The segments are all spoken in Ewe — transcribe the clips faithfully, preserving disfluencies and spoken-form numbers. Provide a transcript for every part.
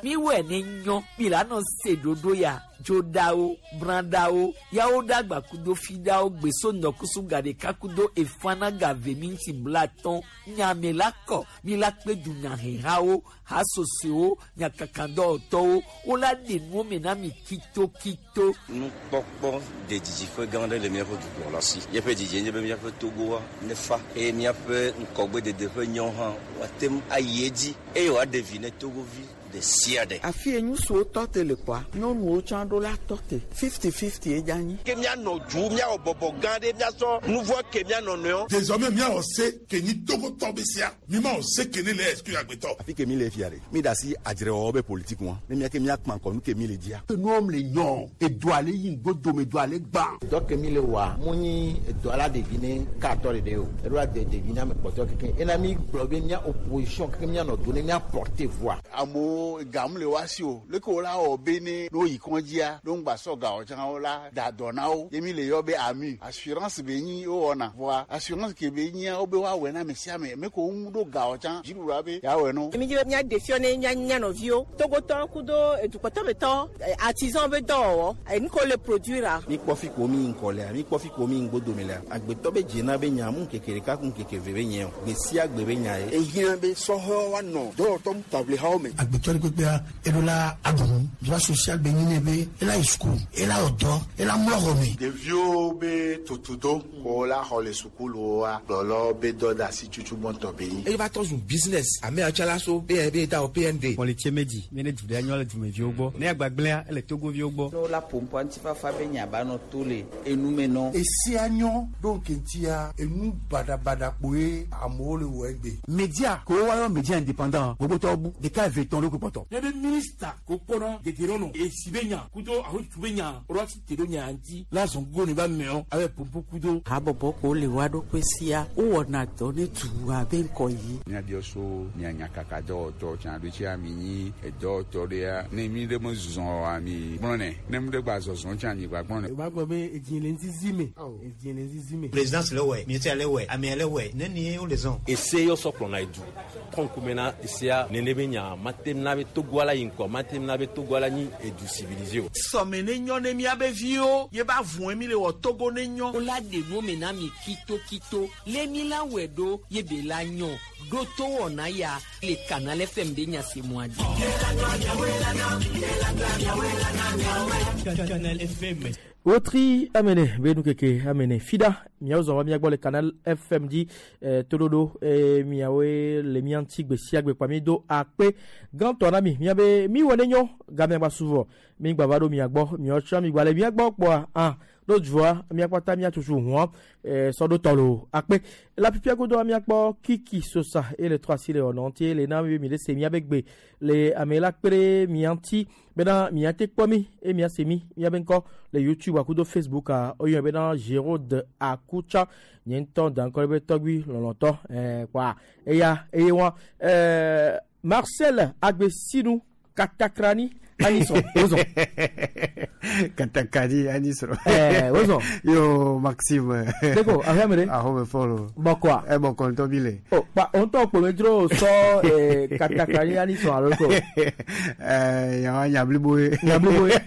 Miwɔe ne nyɔ mi la nɔ se ɖoɖo ya dzoɖawo brãɖawo yawo ɖagba kudo fiɖawo gbeso ŋdɔkusu ga ɖeka kudo efana ga ve minti blatɔn nyame la kɔ mi la kpe dunyahehawo hasosowo nyakakadɔwɔtɔwo wola ɖe nuwo me na mi kitokito. Nukpɔkpɔ de didiƒe gã aɖe le míaƒe dukplɔla si. Míaƒe didie nye be míaƒe Togoa nefa eye míaƒe ŋgɔgbedede ƒe nyawo hã woate ŋu ayi edzi eye wòaɖe vi ne Togovi ɖe sia ɖe. Afi ye ŋutsuwo tɔ te le kpɔa, nyɔnuwo tsã ɖo la tɔ te. Fifty fifty ye dze anyi. Ke míanɔ du míawɔ bɔbɔ gã ɖe míasɔ nu vɔ ke míanɔ nɔewo. Désormais míawɔ se ke nyi Togotɔ be sia mi ma wɔ se ke ne le exclure agbetɔ. Afi ke mi le fia ɖe mi da asi adzrewɔwɔ be politique ŋua ne miake miakpã kɔ nu ke mi le dzia. Enuwo le nyɔ edoa le yi ŋgodome edoa le gbã. Dɔ ke mi le wɔa mu nyi edoa la ɖevi ne katɔ ɖeɖe o eɖo la de ɖevi ne ame kpɔtɔ keke ena mi gblɔ be mía opposition keke míanɔ do ne mía porter voix. Amewo gamu le wa si o leke wo la wɔ be ne ne woyi kɔndzia ne ŋgba sɔ gawo tsã wo la da dɔ na wo ye mi le yɔ be ami assurance be nyi wowɔna vɔa assurance ke be nyia wo be woawɔe na ame sia ame me ko ŋu ɖo gawo tsã dziɖuɖua be yeawɔe no. Mi dzi be míaɖe fiɔ ne mía mía nɔviwo Togotɔ kudo edukpɔtɔmetɔ artisan be dɔwɔwɔ enu ke wole produire. Mi kpɔ fi ko mi ŋkɔ lea mi kpɔ fi ko mi ŋgbodome lea agbetɔ be dzena be nya mu ŋkeke ɖeka ku ŋkeke ve be nye o gbe sia gbe be nya ye. Ehiã be sɔhɛwo woanɔ dɔwɔtɔ taʋlihawo me. Agbetɔ ɖe kpekpea eɖo la aɖu nu droit social be nyi ne be ela yi sukulu ela wɔ dɔ ela mlɔ xɔ me. Ɖeviwo be tutudo ko la xɔ le sukuluwoa kplɔlɔwo be dɔ de asi tutu gbɔntɔ be nyi. Eye va trɔ zu business ame atsala so be be da o P N D. Mɔlitse medzi mi ne du ɖe nyɔ le dumeviwo gbɔ ne agbagblẽa ele Togoviwo gbɔ. Ne wola ƒoƒoa ŋutifafa be nya ba nɔ to le enume nɔ. Esia nyɔ ɖo ŋkeŋtia enu baɖabaɖa kpoe amewo le wɔ egbe. Média ko woayɔ média indépendant gbogbotɔwo bu ɖeka eve tɔn ɖo kpɔtɔ. Ne be minista ko kpɔnɔ dedienɔnɔ esi be nya kudo ahotu be nya woɖo asi te ɖo nya ŋuti la zɔn go ne ba mɛɔ abe ƒoƒo kudo. Habɔbɔ ko le wa ɖokui sia wowɔna dɔ ne dua be ŋkɔ yi. Míabiɔ so mia nyakaka dɔwɔtɔ tsã ɖo tsia mi nyi edɔwɔtɔ ɖea ne mi ɖe me zɔ oa mi gblɔnɛ ne mi ɖe gba zɔzɔ tsã mi gba gblɔnɛ. O b'a gbɔ be edzi le ŋzizi me edzi le ŋzizi me. Présidence le wɛ ministère le wɛ amea le wɛ ne ni wo le zɔn. Ese yɔ sɔ kplɔna edu kɔn kumena esea nene be nya mate na be Togo la yi ŋkɔ mate na be Togo la nyi edu civilisé o. Sɔme ne nyɔ ne miabe viwo ye ba vɔe mi le wɔ Togo ne nyɔ. Wola ɖe nuwo me na mi kitokito le mi la wɔe ɖo ye be la nyɔ ɖo to wɔna ya le Canal F M be nyasemua dzi. Canal F M. Wotri amene be nu keke amene fida miawo zɔn va miagbɔ le Canal F M dzi eh, toɖoɖo eh, miawoe le mia ŋuti gbe sia gbe kpa mi do akpe gãtɔ na mi miabe mi wɔ ne nyɔ gamea gba suvɔ mi gba va ɖo mia gbɔ miawo tsɔ mi gba le mia gbɔ kpɔa ah ɖo dua miakpata miatutu hũa eh, sɔ ɖo tɔ lo akpe la pipia godoa miakpɔ Kiki Sosa ele trɔ asi le wɔnɔ ŋuti le na mi mi le se miabe gbe le ame la kpe ɖe mia ŋuti bena miate kpɔ mi eye miase mi miabe ŋkɔ le YouTube akudo Facebook a oyɔ bena Gérald Akutsa nye ŋutɔ da ŋkɔ ɖe be tɔgbui lɔlɔtɔ ɛɛ kpɔa eya eye wa ɛɛ Marcel Agbesinu Katakrani Anisɔ wozɔ. Katakani Anisɔ. Ɛɛ wozɔ. Yo Maxime. Deko ahome de. Ahome fɔlɔ. Bɔkɔa. Ɛ bɔkɔ ŋutɔ bi le. O kpa o ŋutɔ kpɔme dzro sɔ ɛɛ Katakrani Anisɔ alo ko. Ɛɛ yawa nya blibo ye. Nya blibo ye.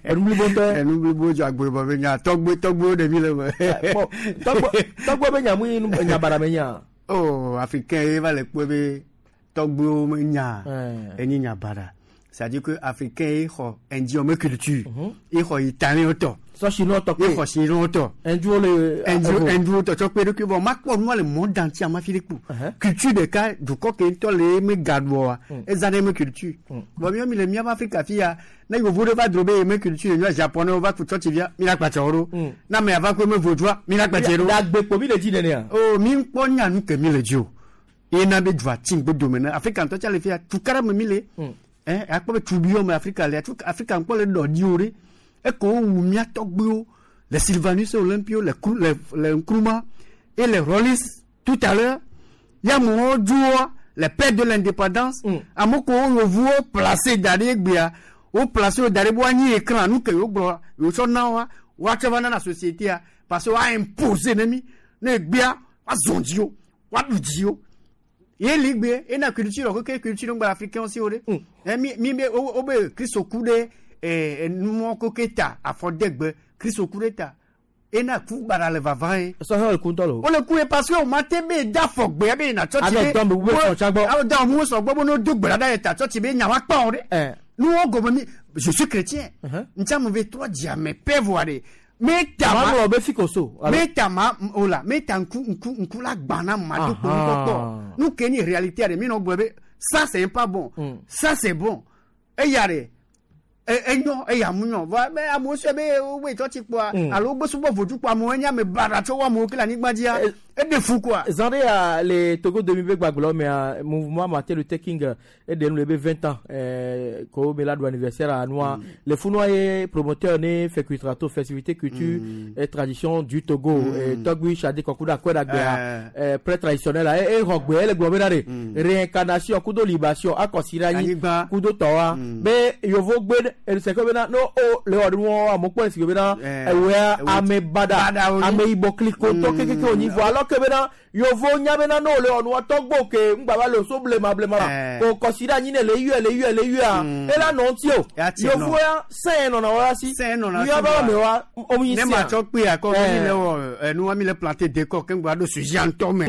Enu blibo ŋutɔ. Enu blibo dzɔ agbe bɔ be nya tɔgbe tɔgbewo ɖe mi le me. Bɔn tɔgbe tɔgbe be nya mu yi nya baɖa me nya. Oh, africain ye va le kpɔe be tɔgbewo me nya enyi nya baɖa. C'est-à-dire que africain ye xɔ indien me culture ye xɔ italien tɔ. Sɔ chinois tɔ ye xɔ chinois tɔ. Hinduwo le. Hindu hinduwo tɔ tsɔ kpe ɖokui bɔ ma kpɔ nua le monde entier ma fi ɖe kpo. Culture ɖeka dukɔ ke ŋutɔ le eme gaɖua eza ɖe eme culture. Bɔn miɔ mi le miaƒe Afrika fi ya ne yevu ɖe va dro be eme culture nyɔ japonais va ku tsɔtsi via mi la kpatsa wo ɖo. Ne ame ava ku eme vodua mi la kpatse ɖo. Dagbe kpo mi le dzi nenea. O mi ŋkpɔ nya nu ke mi le dzi o. Ye na be dua tsi ŋgbo dome ne Afrika ŋutɔ tsa le fi ya tukaɖa me mi le. Eh, akpɔ be tubiwo me Afrika le Afrika ŋkpɔ le ɖɔ ɖi wo ɖe eke wowu mía tɔgbuiwo le Sylvanus Olympio le le le Nkrumah et les Rawlings tout à l'heure ya amewo dzoa les pères de l'indépendance ame kewo yevuwo placé da ɖe egbea wo placé wo da ɖe be woanyi écran nu ke yewo gblɔ yewo tsɔ na woa woatsɔ va nana société parce que woa imposer ne mi ne egbea woazɔ dzi wo woaɖu dzi wo. Ye ligbe ena culture ko ke culture ngba africain aussi ore. Eh mi mi be o be Kristo ku de eh numo ko keta afodegbe Kristo ku de ta. Ena ku bara le vava e. So ho le ku ntɔ lo. O le ku e parce que o ma te be da fogbe be na church be. Ame be so chagbo. A da mu so gbo no do gbara da ta church be nya wa pa ore. Eh. Nous on gobe mi je suis chrétien. Ntia mo ve trois diamé pe voir de. Me ta ma be fikoso. Me ta ma ola me ta nku nku nku la gbana ma do ko ko. Nous keni réalité de mi no gbe ça c'est pas bon. Ça c'est bon. E yare enyo eya munyo va me amu se be we to ti po alo gbe subo vodu po amu enya me bara to wa mu kila ni gbadia e de fu quoi Zandé a les Togo deux mille gbaglo mais mouvement Martin Luther King et de nous le vingt ans euh ko me la do anniversaire à noir les funoye promoteur né fait culture festivité culture et tradition du Togo et Togui Chadé Kokuda Kweda euh pré traditionnel et rogbe le gbobe na réincarnation kudo libation akosirani kudo towa be yovo gbe c'est comme no o le odun won mo po si bena ewe ame bada ame ibo kliko to keke oni vo alors que bena yovo nya bena no le onu to gbo ke ngba ba lo so blema blema ko consider yin le yu le yu le yu a e la no ti o yovo ya se no na wa si yo ba me wa o mi si ne ma cho pe akọ mi le wo enu wa mi le planter décor ke ngba do sujet anto me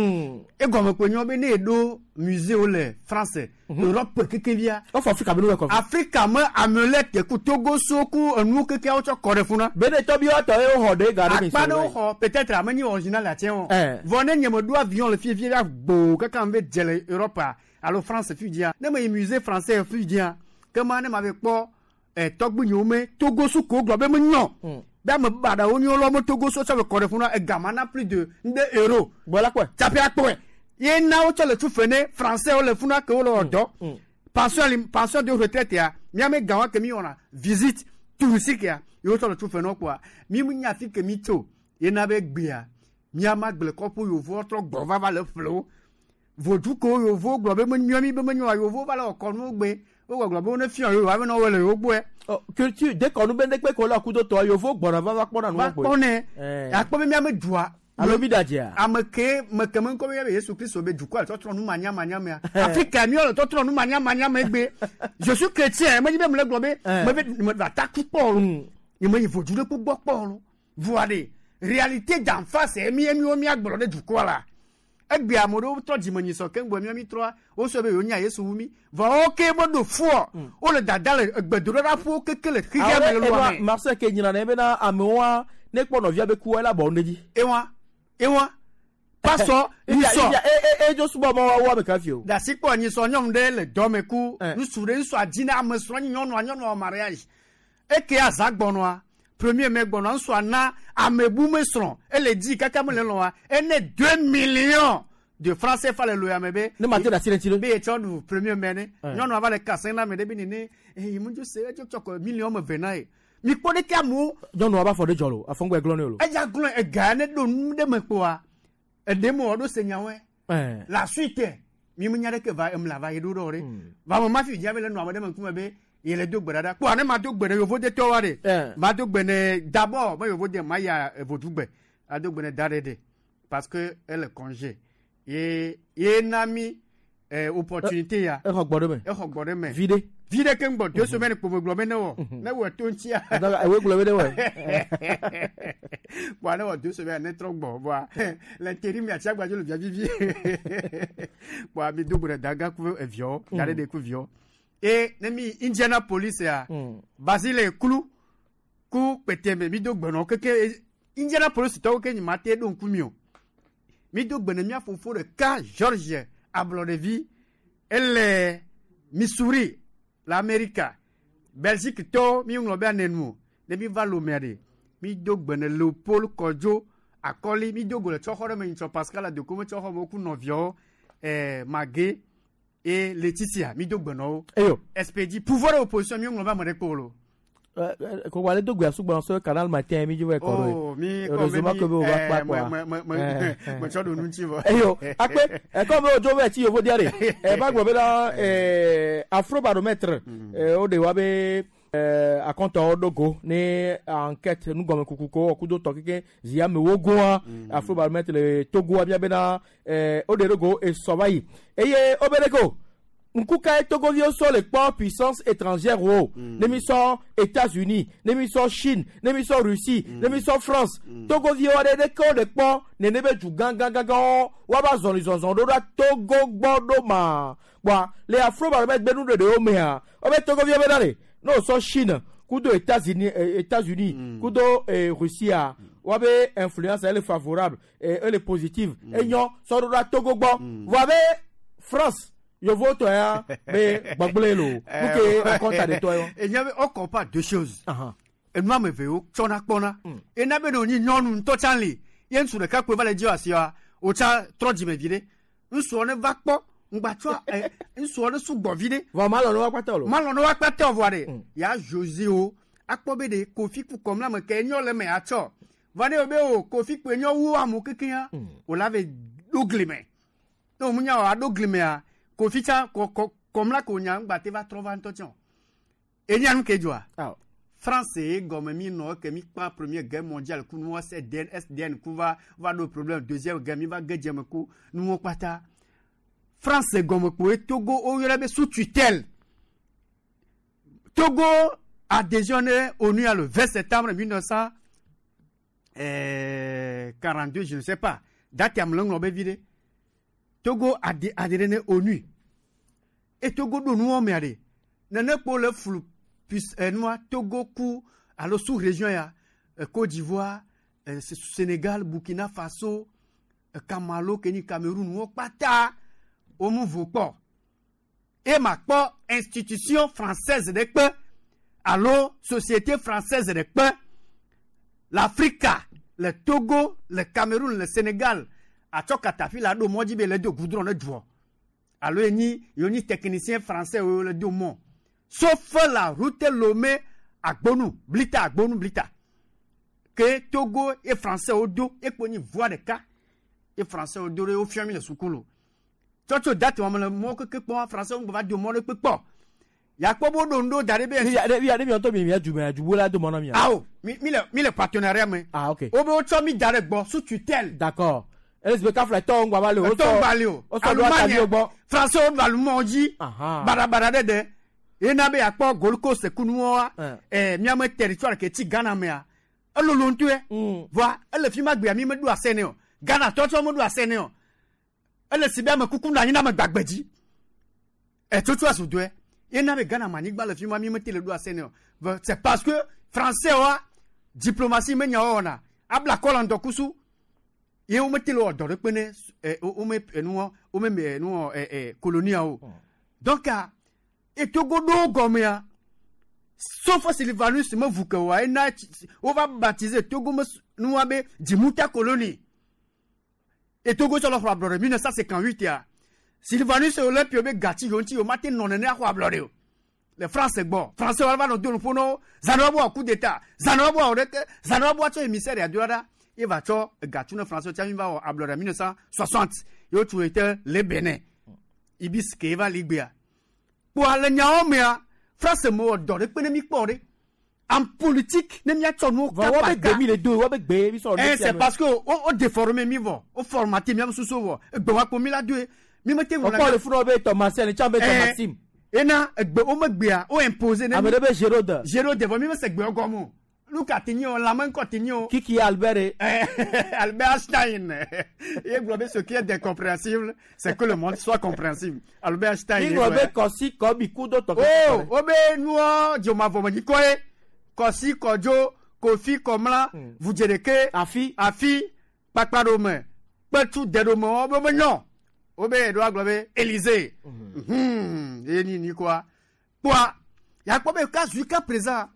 e go me pe nyo be ne do musée o le français Europe keke via o Africa be no ko Africa me amelete ku Togo soku enu keke o cho kore funa be ne to bi o to e ho de gare mi so pa no ho peut-être ameni original la tien vone nye me do avion le fie fie gbo keke me djele Europe alo France fi dia ne me musée français fi dia ke ma ne ma be kpo e togbu nyo me Togo suko glo be me nyo be me bada oni lo mo Togo so so kore funa e gamana plus de deux euros voilà quoi tapé akpo ye na o tse le tu fene français o le funa ke o le odo pension pension de retraite ya mi ame gawa ke mi ona visite touristique ya yo tse le tu fene quoi mi mu nya fi ke mi to ye na be gbia mi ama gble kopo yo vo tro gbo va va le flo vodu ko yo vo gbo be mi mi be mi yo vo va le okonu gbe o gbo be ne fion yo wa be no wele yo gbo e culture de konu be ndekpe ko la kudo to yo vo gbo na va va kpona nu gbo ne akpo be mi ame dua alo bi daje ame ke me ke me ko be Yesu Christ be du quoi to tro nu manya manya me Afrique mi o to tro nu manya manya me gbe je suis chrétien me be me le globe me be me va ta ku po ni me vo du le ku gbo po voire réalité d'en face mi mi o mi agboro de du quoi là egbe amoro to di me ni so ke ngbo mi mi tro o so be yo nya Yesu wu mi va o ke mo do fu o le dada le egbe do ra fu ke ke le kike me lo me Marcel ke nyina na be na amewa ne kpo novia be ku ela bo ndeji ewa ewa pastor ni so e e jo subo mo wa me ka fi o da sipo ni so nyom de le do me ku nsu re nsu adina am so nyonu anyonu mariage e ke azagbono a premier me gbono nsu ana amebu me sron e le di kaka mo le lo wa e ne deux millions de francs C F A le lo ya me be ne ma te da sire ti be e chodu premier me ne nyonu ava le kasen na me de bi ni ne e mu ju se e jo choko million me vena e mi ko de ka mu nyonu aba fo de jolo afongbe glon lo e ja glon e ga ne do nu de me po a e de mo do se nyawe eh la suite mi mu nya de ke va em la va yedo do re va mo ma fi ja be le no amode me ku me be ye le do gberada po ane ma do gbere yovo de to wa de ma do gbene d'abord mo yovo de ma ya vodugbe a do gbene dare de parce que elle est congé ye ye nami eh opportunité ya e ho gbodo me e ho gbodo me vide vide ke ngbo deux semaines po gbo me ne wo ne wo to ntia e we gbo me ne wo bo ne wo deux semaines ne tro gbo bo l'intérim ya tia gbajo le via vivi bo mi do gbe daga ku evio dare de ku vio e ne mi Indianapolis ya Basile kulu ku peteme mi do gbe no keke Indianapolis to ke ni mate do nku mi o mi do gbe ne mi afofo de ka George Ablodevi ele Missouri l'Amérique Belgique to mi nglo be anenu ne mi va lo mere mi do gbene Leopold Kojo akoli mi do go le tsoxɔ me ntso Pascal adoko me tsoxɔ mo ku nɔviawo eh Magé et Laetitia mi do gbene eyo S P D pouvoir opposition mi nglo be ame ɖe kpo lo ko wale do gbe asugba so canal matin mi jiwe ko oh mi heureusement que o va pa quoi me me me tso do nu ntsi vɔ eyo akpe e ko be ojo be ti yovo diare e ba gbo be na eh afrobaromètre eh o de wa be Eh, akɔntɔwo ɖo go ne enquête nugɔmekuku ko wɔ kudo tɔ keke zi amewo goa afrobaromètre le togoa bia bena eh, wo ɖe ɖo go esɔ va yi eye wo be ɖe ko ŋku kae togoviwo sɔ le kpɔ puissance étrangère wo ne mi sɔ états-unis ne mi sɔ chine ne mi sɔ russie ne mi sɔ france togoviwo aɖe ɖeke wo le kpɔ nene be du gãgãgãgãwo woava zɔlizɔzɔ ɖo ɖa togo gbɔ ɖo ma kpɔa le afrobaromètre be nuɖeɖewo mea wobe togoviwo be na le ne wosɔ chine kudo états-unis eh, états-unis kudo eh, russie woabe influence elle est favorable eh, elle est positive enyɔ sɔ ɖo ɖa togo gbɔ voa be france yovo tɔ ya be gbɔgblẽ lo nu ke akɔnta de tɔ yɔ. Enya be wo compare deux choses. Enu ame eve wo tsɔna kpɔna. Ena be ne wònyi nyɔnu ŋutɔ tsã li ye ŋutsu ɖeka kpoe va le dzi asia wòtsa trɔ dzime vi ɖe. Ŋutsua ne va kpɔ ŋgbatsɔ ɛ ŋutsua ne sugbɔ vi ɖe. Vɔ malɔ ne woakpata o lo. Malɔ ne woakpata o vɔa ɖe. Ya José wo akpɔ be ɖe kofi ku kɔm la me ke enyɔ le me atsɔ. Vɔ ne wo be o kofi kpoe nyɔ wu amewo kekeŋ wòla ve ɖo gli me. Ne wò nya wò aɖo gli mea kofi tsa kɔ kɔ kɔmla ko nya ŋgba te va trɔ va ŋutɔ tsɛ o. Enya nu ke dzɔa. France ye gɔme mi nɔ ke mi kpa première guerre mondiale ku nuwɔ SDN SDN ku va va ɖo problème deuxième guerre mi va ge dzeme ku nuwɔ kpata. France gɔme kpoe Togo woyɔna be sous tutelle. Togo adhésion ne ONU le vingt septembre mille neuf cent quarante-deux je ne sais pas date am le ŋlɔ be vi ɖe. Togo adhéré adhéré ne ONU. Et Togo ɖo nuwɔ mea ɖe nene kpo le flu puis enua Togo ku alo sous région ya Côte d'Ivoire, Sénégal, Burkina Faso, Kamalo, Kenya, Cameroun wo kpata wo mu vo kpɔ. E ma kpɔ institution française ɖe kpe alo société française ɖe kpe l'Afrique, le Togo, le Cameroun, le Sénégal atsɔ katapila ɖo mɔ dzi be le do goudron ne duɔ alo enyi yonyi technicien français wo le do mɔ sauf la route Lomé Agbonu Blita Agbonu Blita ke Togo et français wo do ekpo nyi voie ɖeka et français wo do ɖe wo fia mi le sukulu tsɔtso date wɔm le mɔ keke kpɔ français wo va do mɔ ɖe kpe kpɔ yakpɔ bo ɖo ŋɖo da ɖe be. Via ne miɔtɔ mi mia du mɛ dubu la do mɔ na mia. Awo mi mi le mi le partenariat me. Ah ok. Wo be wotsɔ mi da ɖe gbɔ sous tutelle. D'accord. Elizabeth Kafla tɔ ŋgba va le o. Tɔ ŋgba le o. O sɔ do atavi wo gbɔ. Français wo ɖo alumɔ dzi. Baɖabaɖa ɖe ɖe. Yena be yakpɔ Gold Coast kunuwoa. Ɛɛ miame territoire ke tsi Ghana mea. Elolo ŋutɔe. Voa ele fi ma gbea mi meɖo ase nɛ o. Ghana tɔtɔ meɖo ase nɛ o. Ele si be ame kuku nɔ anyi na ame gbagbe dzi. Etsotso azu doe. Yena be Ghana manyigba le fi ma mi mete le ɖo ase nɛ o. C'est parce que français wa diplomatie menya wɔna. Abla kɔ le ŋdɔkusu. Ye wo mete le wɔ dɔ ɖe kpe ne ɛ wo me enuwɔ wo me me enuwɔ ɛ ɛ colonia o. Donc etogo ɖo gɔmea sauf Sylvanus me vu ke wa ena wo va baptiser Togo me nua be Djimuta colonie. Et Togo sɔ le xɔ ablɔɖe mille neuf cent cinquante-huit ya. Sylvanus Olympio be gati yo ŋuti o ma te nɔ nene axɔ ablɔɖe o. Le France gbɔ français wa va nɔ do nuƒo na wo zãnu wa bɔ coup d'état zãnu wa bɔ wɔ ɖeke zãnu wa bɔ tsɔ émissaire ya do ɖa ye va tsɔ gatu ne français tsa mi va wɔ ablɔɖe mille neuf cent soixante ye wotu ete le Benin ibis ke va ligbea. Kpoa le nyawo mea France me wɔ dɔ ɖe kpe ne mi kpɔ ɖe en politique ne miatsɔ nuwo Vɔ wo be gbe mi le do wo be gbe mi sɔ. Eh c'est parce que o o déformé mi vɔ o formaté miabe susu vɔ egbe wa kpo mi la doe mi mete ŋlɔ. Ɔkpɔ le funu be tɔ Marcel tsa be tɔ Maxime. Ena egbe wo me gbea o imposé ne. Ame ɖe be Gérode. Gérode vɔ mi me se gbewo gɔme o. Luka te nyi o lamɛ ŋkɔ te nyi o. Kiki Albert. Albert Einstein. Il gblɔ be ce qui est incompréhensible, c'est que le monde soit compréhensible. Albert Einstein. Il gblɔ be kɔsi kɔbi kudo tɔ. Oh, wo be nuɔ dzomavɔme nyikɔ ye. Kɔsi kɔdzo kofi kɔmla vudzedeke. Afi. Afi kpakpaɖome kpetu deɖome wo be menyɔ. Wo be eɖo agblɔ be Élysée. Hmm, ye ni ni quoi. Kpoa yakpɔ be ka jusqu'à présent.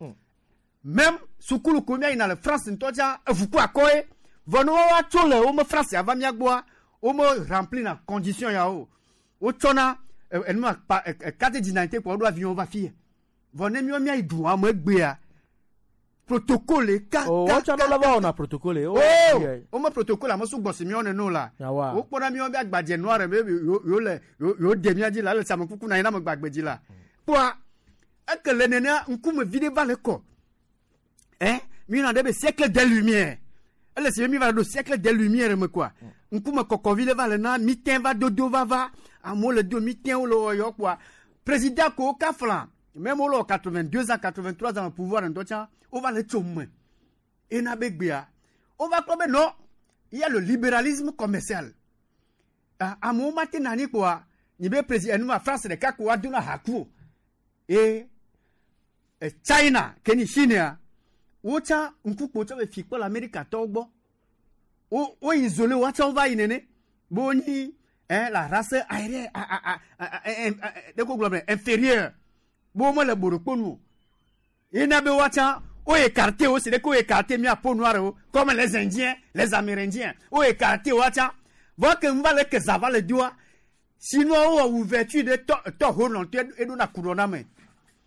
Même sukulu ko mia yina le France ŋutɔ tsa eʋu akɔ ye vɔ ne woa tso le wo me France ava mia gbɔa wo me rempli na condition ya o wotsɔna enuma pa carte d'identité kpɔ woɖo avion va fi vɔ ne miɔ mia yi dua me gbea protocole ka o ka wotsɔ lɔ va wɔna protocole. o wo me protocole ame sugbɔ si miɔ neno la wokpɔna miɔ be agbadze nua ɖe be yewo le yewo de mia dzi la ele same kuku na anyi na ame gbagbe dzi la kpoa Eke le nenea ŋkume vi ɖe va le kɔ. Hein? Mi na ɖe be siècle des lumières. Ele si be mi va ɖo siècle des lumières me quoi. Ŋkume kɔkɔ vi ɖe va le na mi tɛ va dodo va va. Amewo le do mi tɛ wo le wɔyɔ quoi. Président ko kafla. Même wo le wɔ quatre-vingt-deux ans, quatre-vingt-trois ans au pouvoir ŋutɔ tsã, wova le tso me. Ena be gbea. Wova kpɔ be non, il y a le libéralisme commercial. Ah, amewo ma te nani kpoa, nyi be président enuma France ɖeka ko woado na haku o. E e China ke ni Chine wotsã ŋkukpo tsɔ be fi kpɔ le Amerikatɔwo gbɔ. Wo wo isolé woatsã wova yi nene. Be wonyi hein, la race aérienne a a a a a ɖe ko gblɔ be inférieure. Be womele boɖokpo nu o. Yina be woatsã wo écarté wo si ɖe ke wo écarté mía peau noire wo comme les Indiens, les Amérindiens. Wo écarté woatsã. Vɔ ke ŋu va le ke zã va le doa, Chinois wɔ ouverture ɖe tɔ tɔ ho nɔ tɔ eɖo na ku ɖɔ na me.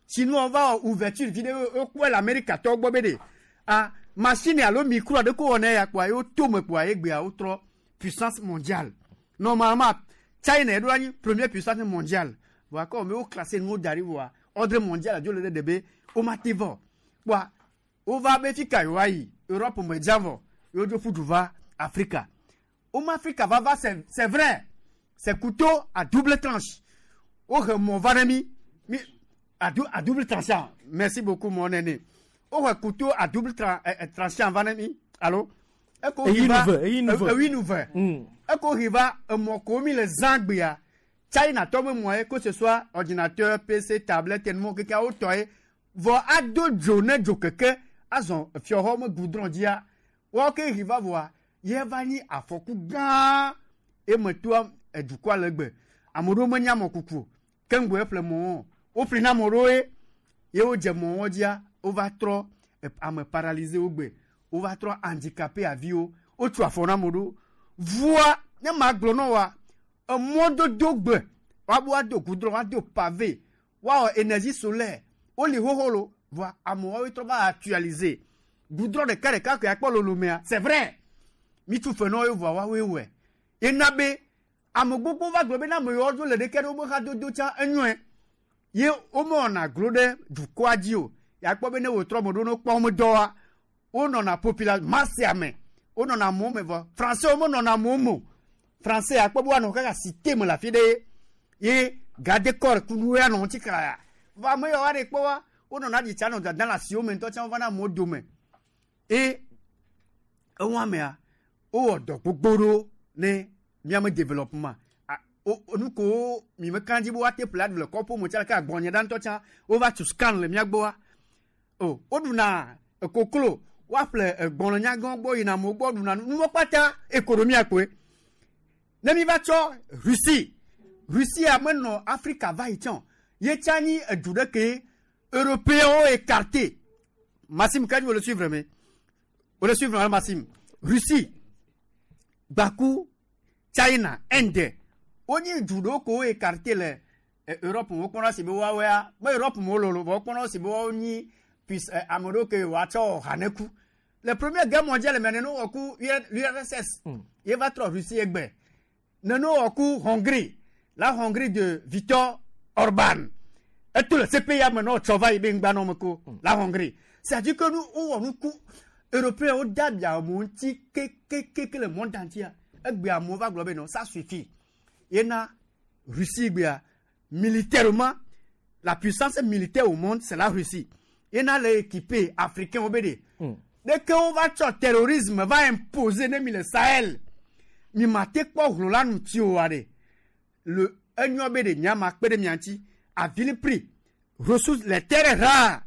Chinois va wɔ ouverture vi ɖe wokpɔe le Amerikatɔwo gbɔ be ɖe ah machine alo micro aɖe ko wɔ ne ya kpoa ye woto me kpoa ye gbea wotrɔ puissance mondiale. Normalement China eɖo anyi première puissance mondiale. Vɔa kɔ me wo classé nuwo da ɖi vɔa ordre mondial adzo le ɖe ɖe be womate vɔ. Kpoa wova be fi ka yewoayi Europe me dza vɔ ye wodzo ƒu du va Afrika. Woma Afrika va va c'est c'est vrai. C'est couteau à double tranche. Wohe mɔ va ɖe mi mi à, dou, à double tranchant. Merci beaucoup mon aîné. Wohe couteau à double tra, eh, eh, tranchant va ɖe mi. Allo. Eko Eyi hi va nu ve, eyi nu ve. Eyi nu ve. Eko hi va emɔ ko mi le zã gbea. China tɔ be mɔ ye que ce soit ordinateur, P C, tablette, nuwo keke wotɔ ye. Vɔ ado dzo ne dzo keke azɔ fiɔxɔ me goudron dzia. Woawo ke hi va vɔa ye va nyi afɔku gã eme toa edukɔa le gbe. Ame ɖewo menya mɔkuku o. Keŋgbe eƒle mɔwo. Woƒli na ame ɖewo ye ye wodze mɔwo dzia wova trɔ ame paralysé wo gbe. Wova trɔ handicapé aviwo. Wotu afɔ na ame ɖewo. Vua ne ma gblɔ na woa, emɔdodo gbe woabo woado goudron, woado pavé, woawɔ énergie solaire. Woli xoxo lo. Vɔa amewo trɔ va actualiser. Goudron ɖeka ɖeka ko akpɔ lolomea. C'est vrai. Mi tu fe na wo vɔa woawoe wɔe. Ena be ame gbogbo va gblɔ be na ame yiwo dzo le ɖeke ɖe wobe xadodo tsã enyoe. Ye womewɔna glo ɖe dukɔa dzi o. Yakpɔ be ne wotrɔ ame ɖewo ne wokpɔ wo dɔa, wonɔna population masse me. Wonɔna amewo me vɔ. Français womenɔna amewo me o. Français yakpɔ be woanɔ kaka cité me le afi ɖe ye garde corps kunu ya nɔ ŋuti kra. Vɔ ame yiwo wa ɖe kpɔ wa, wonɔna ɖi tsa nɔ dada le asiwo me ŋutɔ tsã wova na amewo dome. Eye eŋu amea, wowɔ dɔ gbogbo ɖewo ne míame développement. Nu ko mi me kan dzi be woate ƒle aɖu le kɔƒo me tsã ke agbɔnye ɖa ŋutɔ tsã wova tu scan le mía gbɔa. O, woɖuna koklo, woaƒle egbɔlɔnyagãwo gbɔ yina amewo gbɔ ɖuna nu. Nuwo kpata économie koe. Ne mi va tsɔ Russie, Russie menɔ Afrika va yi tsã o. Ye tsã nyi edu ɖe ke européens écarté. Maxime, quand vous le suivre, mais vous le suivre, Maxime. Russie, Bakou, China, Inde. Wonyi du ɖewo ko écarté le Europe wokpɔna si be woawoea me Europe me wololo vɔ wokpɔna si be woawo nyi puis ame ɖewo ke woatsɔ haneku. Le première guerre mondiale me nene wɔ ku l'U R S S ye va trɔ Russie egbe. Nene wɔ ku Hongrie, la Hongrie de Viktor Orban. Eto le C P I A me nɔ tsɔ va yi be ŋgba nɔ me ko la Hongrie. C'est-à-dire que nous wowɔ nu ku européens wo dabia amewo ŋuti kekekeke le monde entier. Egbe amewo va gblɔ be non, ça suffit. Yena Russie gbea militairement la puissance militaire au monde c'est la Russie. Yena le équipé africain wo be de. Dès que on va tsɔ terrorisme va imposer ne mi le Sahel. Mi ma te kpɔ hlo la nu ti o wa de. Le enyɔ be de nyama kpe ɖe mia ŋuti à vil prix. Ressources les terres rares.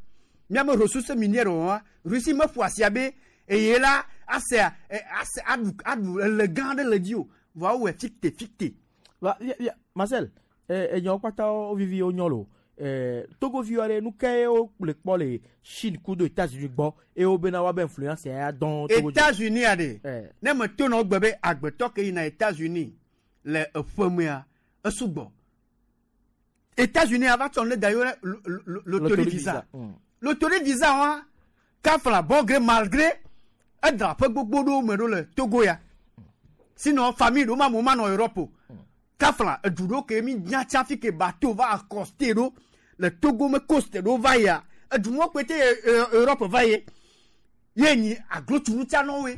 Miame ressources minières wa Russie me ƒo asia be eye la ase ase aɖu aɖu ele gã ɖe le dzi o. Vɔa wowɔe ficte ficte. Va, ya, ya, Marcel, eh, enyawo kpata wo vivi wo nyɔ lo. Eh, Togovi aɖe nu ke wo le kpɔ le Chine kudo États-Unis gbɔ eye wo bena woabe influence ya dɔn Togo dzi. États-Unis aɖe. Eh. Ne me to na wo gbe be agbetɔ ke yina États-Unis le eƒe mea esugbɔ. États-Unis ava tsɔ nu ɖe da yɔ ɖe lo-, lo-, lo-, loterie visa. Mm. Loterie visa wa kafla bon gré mal gré edra ƒe gbogbo ɖewo me ɖo le Togo ya. Sinon famille ɖewo ma mo ma nɔ Europe o. Kafla edu ɖewo ke mi nya tsa fi ke bateau va accoster ɖo Le Togo me coste ɖo va yia edumɔ kpete Europe va ye ye nyi aglotunu tia nɔwoe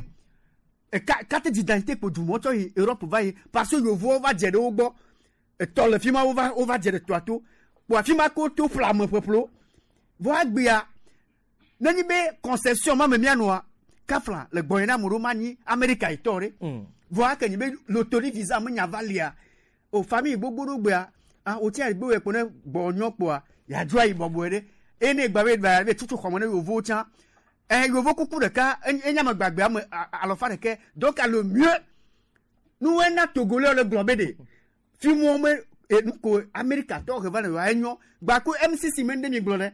eka carte d'identité kpo dumɔ tsɔ yi Europe va ye parce que yevuwo va dze ɖe wo gbɔ etɔ le fi ma wova wova dze ɖe toa to kpo afi ma ko to ƒle ame ƒeƒlo vɔ agbea nenyi be concession ma me mianɔa kafla le gbɔnye na ame ɖewo ma nyi Amerika yitɔ ɖe vɔ ake nyi be lotori visa me nya va lia o famille gbogbo ɖo gbea ah o tia gbe kpo ne gbɔ nyɔ kpoa yadzro ayi bɔbɔe ɖe eye ne gba be gba be tutu xɔme ne yevowo tsã eh yevo kuku ɖeka enya me gbagbe ame alɔfa ɖeke donc le mieux nuwe na Togolais le gblɔ be de fimuwo me nuko Amerika tɔ he va ne yewoa enyo gbako M C C me ŋɖe mi gblɔ ɖe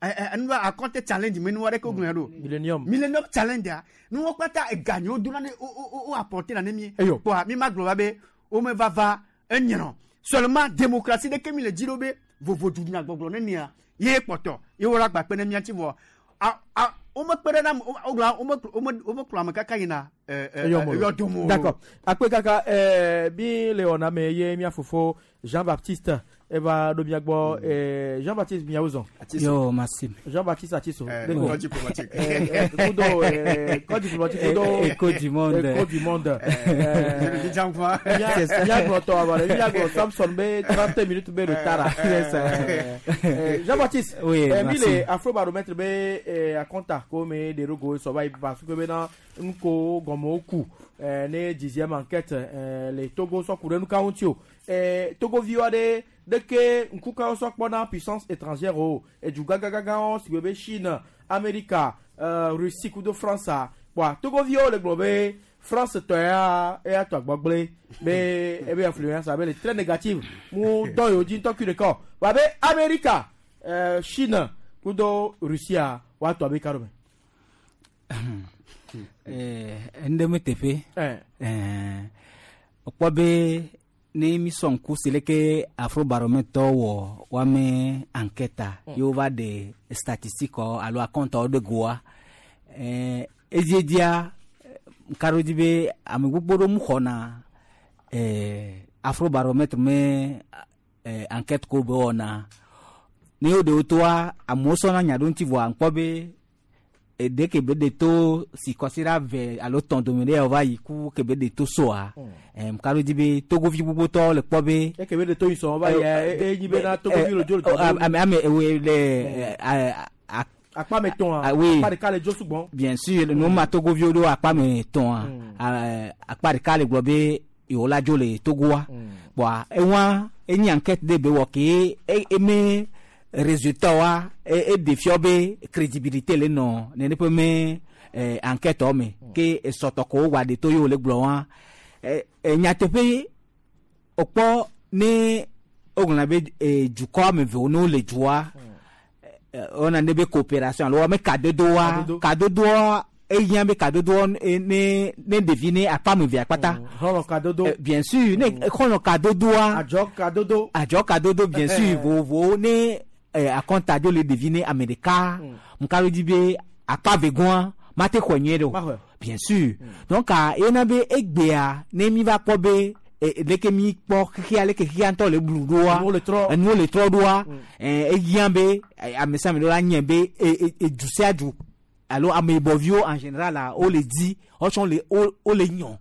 eh eh nu a compte challenge me nu aɖeke wogblɔ ɖo Millennium Millennium challenge a nuwo kpata eganyiwo dona ne o o o apporter na ne mi kpoa mi ma gblɔ va be wo me va va enyrɔ seulement démocratie ɖeke mi le dzi ɖo be vovodunya gbɔgblɔ ne mia ye kpɔtɔ ye wo la gba kpe ne mia tsi vɔ a a wo me kpe ɖe na wo gblɔ wo me wo me wo me kplɔ ame kaka yina ɛ ɛ eyɔdomo. D'accord. Akpe kaka ɛɛ bi le wɔna me ye mia fofo Jean-Baptiste eva ɖo mia gbɔ ɛɛ Jean-Baptiste miawo zɔn. Yo, merci. Jean-Baptiste Atiso. Code diplomatique. Kudo ɛɛ code diplomatique kudo. Écho du monde. Écho du monde. C'est ça. Mia gblɔ tɔ awɔ mia gblɔ Samson be trente minutes be retard. Jean-Baptiste. Oui, Mi merci. le Afrobaromètre be akɔnta ko me de rogo sɔba yi parce que bena ŋko gɔmewo ku ne dixième enquête le Togo sɔ ku ɖe nukawo ŋuti o. Togoviwo aɖe ɖeke ŋkukawo sɔ kpɔna puissance étrangère o edu gãgãgãwo si be Chine, Amerika, Russie kudo France kpoa Togoviwo le gblɔ be France tɔ ya eya tɔ agbɔgble be ebe influence abe le très négative mu dɔ yewo dzi ŋutɔ kui ɖeka o wa be Amerika, Chine kudo Russia woatɔ abe ka ɖo me. Ŋɖe me teƒe. Ekpɔ be ne mi sɔ ŋku si leke Afrobaromètre wɔ woame enquête ye wova ɖe statistique alo akɔntawo ɖe goa edziedzia ŋka ɖo dzi be ame gbogbo ɖewo mu xɔna Afrobaromètre me enquête ko be wɔna ne wo ɖewo toa amewo sɔna nya ɖo ŋuti vɔa ŋkpɔ be ɖe ke be ɖe to si kɔsiɖa ve alo tɔn dome ɖe wòva yi ku ke be ɖe to soa ŋka ɖo dzi be togovi gbogbotɔwo le kpɔ be. Eke be ɖe to yi sɔn va yi enyi be na togovi le dzo le tɔ. Ame ame ewoe le akpa me tɔn a oui akpa ɖeka le dzo sugbɔ. Bien sûr nu ma togoviwo ɖo akpa me tɔn a akpa ɖeka le gblɔ be yewo la dzo le Togoa bɔn ewa enyi enquête ɖe be wɔ ke eme résultat wa e défiɔ be crédibilité le nɔ nene ƒe me enquête me ke esɔtɔ ko wa de to ye wòle gblɔ wa nyateƒe wòkpɔ ne wogblɔna be dukɔ ame eve wo ne wole dua wona ne be coopération alo ame kadodoa kadodoa ehiã be kadodoa ne ne ɖevi ne akpa ame evea kpata. Xɔlɔ kadodo. Bien sûr ne xɔlɔ kadodoa. Adzɔ kadodo. Adzɔ kadodo bien sûr vovovowo ne akɔnta dzo le ɖevi ne ame ɖeka ŋka ɖo dzi be akpa vegoa mate xɔe nyuie ɖe o bien sûr donc yena be egbea ne mi va kpɔ be leke mi kpɔ xexea leke xexea ŋutɔ le blu ɖoa enuwo le trɔ ɖoa ehiã be ame sia ame ɖe la nye be edu sia du alo ameyibɔviwo en général la wole di wotsɔ le wole nyɔ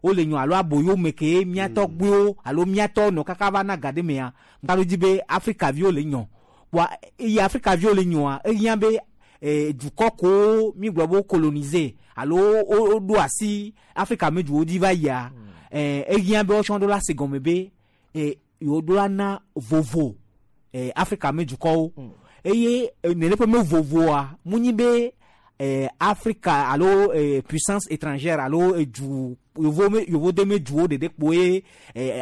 wole nyɔ alo aboyo me ke miatɔ gbewo alo miatɔ nɔ kaka va na ga ɖe mea ŋka ɖo dzi be Afrikaviwo le nyɔ wa eye Afrikaviwo le nyɔa ehiã be dukɔ kowo mi gblɔ be wo coloniser alo woɖo asi Afrika me duwo dzi va yia ehiã be wotsɔ ɖo la se gɔme be yewo ɖo la na vovo Afrika me dukɔwo eye nene ƒe me vovoa mu nyi be Afrika alo puissance étrangère alo du yovo me yovo de me duwo ɖeɖe kpoe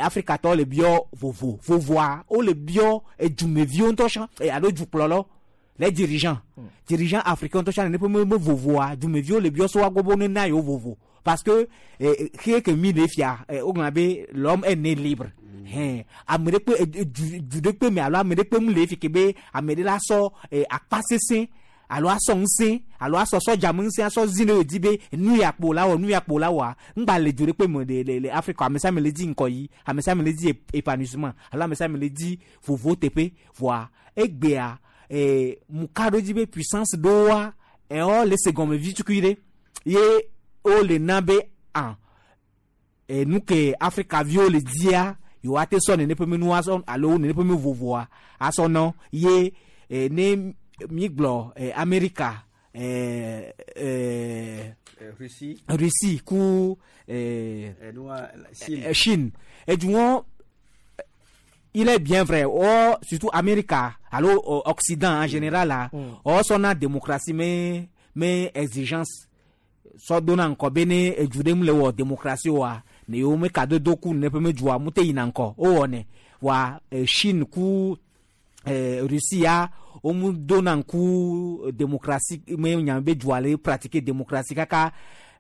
Afrikatɔwo le biɔ vovo vovoa wole biɔ edumeviwo ŋutɔ tsã alo dukplɔlawo les dirigeants dirigeants africains ŋutɔ tsã nene ƒe me me vovoa dumeviwo le biɔ so woagbɔ be wone na yewo vovo parce que xexe ke mi le fia wogblɔna be l'homme est né libre. Hɛn ame ɖe kpe du du ɖe kpe me alo ame ɖe kpe mu le fi ke be ame ɖe la sɔ akpa sesẽ alo asɔ ŋusẽ alo asɔ sɔdza me ŋusẽ asɔ zi ne yio di be nu ya kpo la wɔ nu ya kpo la wɔa ŋgba le du ɖe kpe me le le le Afrika ame sia ame le di ŋkɔ yi ame sia ame le di épanouissement alo ame sia ame le di vovo teƒe voa egbea ee muka ɖo dzi be puissance ɖoa ɛwɔ le se gɔme vi tukui ɖe ye wo le na be ah enu ke Afrika viwo le dia yewoa te sɔ nene ƒe me nu asɔ alo nene ƒe me vovoa asɔ nɔ ye eh, ne mi gblɔ eh, Amerika eh, eh, Russie Russie ku eh, Chine, eh, Chine. Eduwɔn il est bien vrai oh, surtout Amerika alo oh, Occident en général la mm. sɔna démocratie me me exigence sɔ dona ŋkɔ be ne edu ɖe mu le wɔ démocratie oa ne yewo me kadodo ku ne ƒe me dua mu te yina ŋkɔ wowɔ ne wa eh, Chine ku eh, Russie ya wo mu dona ŋku démocratie me nya be dua le pratiquer démocratie kaka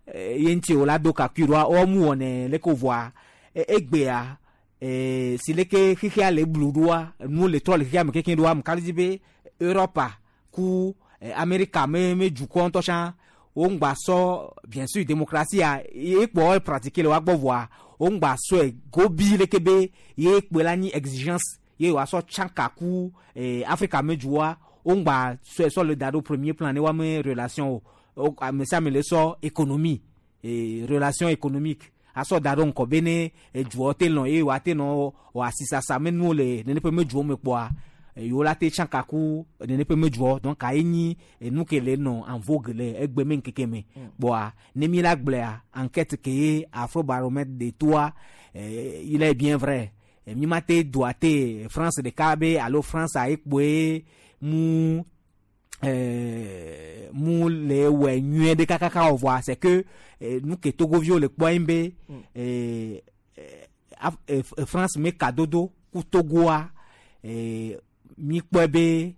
eh, ye ŋuti o la do kakui ɖoa wo mu wɔ ne leke voa egbea eh, si leke xixia le blu ɖoa nuwo le trɔ le xixia me kekeŋ ɖoa mu ka dzi be Europa ku eh, Amerika me me dukɔ ŋutɔ tsã wo ŋgba sɔ bien sûr démocratie ya ye kpɔ pratiquer le wa gbɔ voa wo ŋgba sɔe gobi leke be ye kpe la nyi exigence ye wòasɔ tsaka ku eh, Afrika me dzoa wo ŋgba sɔe sɔ le da ɖo premier plan ne wa me relation o ame sia ame le sɔ économie eh, relation économique asɔ da ɖo ŋkɔ be ne edzoa te lɔn ye wòa te nɔ wɔ asisasa me nuwo le nene ƒe me dzowo me kpɔa yewo la te tsaka ku nene ƒe me dzoa donc ayi nyi enu ke le nɔ en vogue le egbe me ŋkeke me kpɔa ne mi la gblɔa enquête ke ye Afrobaromètre de toa eh, il est bien vrai mi ma te doa te France ɖeka be alo France ayi kpoe mu eh, mu le wɔ nyuie ɖe kakaka o voa c'est que eh, nu ke togoviwo le kpɔ yin be eh, eh, France me kadodo ku Togoa eh, mi kpɔe be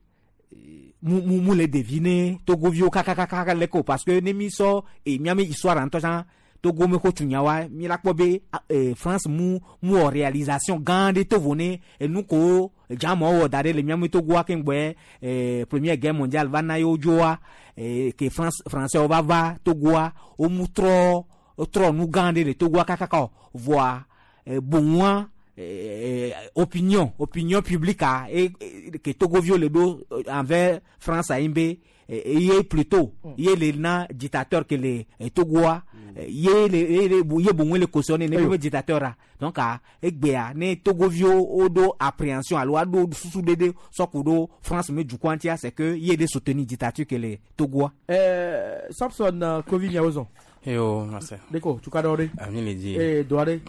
mu mu mu le ɖevi ne togoviwo kakakaka le ko parce que ne mi sɔ eh, miame histoire ŋutɔ tsã Togo me xɔ tunya wa mi la kpɔ be eh, France mu mu wɔ réalisation gã ɖe to vo ne enu ko dzamɔ wɔ da ɖe le miame Togoa keŋ gbɔe eh, première guerre mondiale va na yewo dzoa eh, ke France français wo va va Togoa wo mu trɔ trɔ nu gã ɖe le Togoa kakaka o voa eh, boŋua eh, opinion opinion publique a e, e, ke togoviwo le ɖo envers France ayi be ye plutôt ye le na dictateur ke le Togoa ye le ye le ye boŋue le cautionner ne be dictateur a donc a egbea ne togoviwo wo ɖo appréhension alo aɖo susu ɖeɖe sɔku ɖo France me dukɔa ŋutia c'est que ye le soutenir dictature ke le Togoa. Euh, Samson uh, Kovi Niawozon. Yo, merci. Deko, tu ka ɖe? Ami le di. Eh, doa ɖe.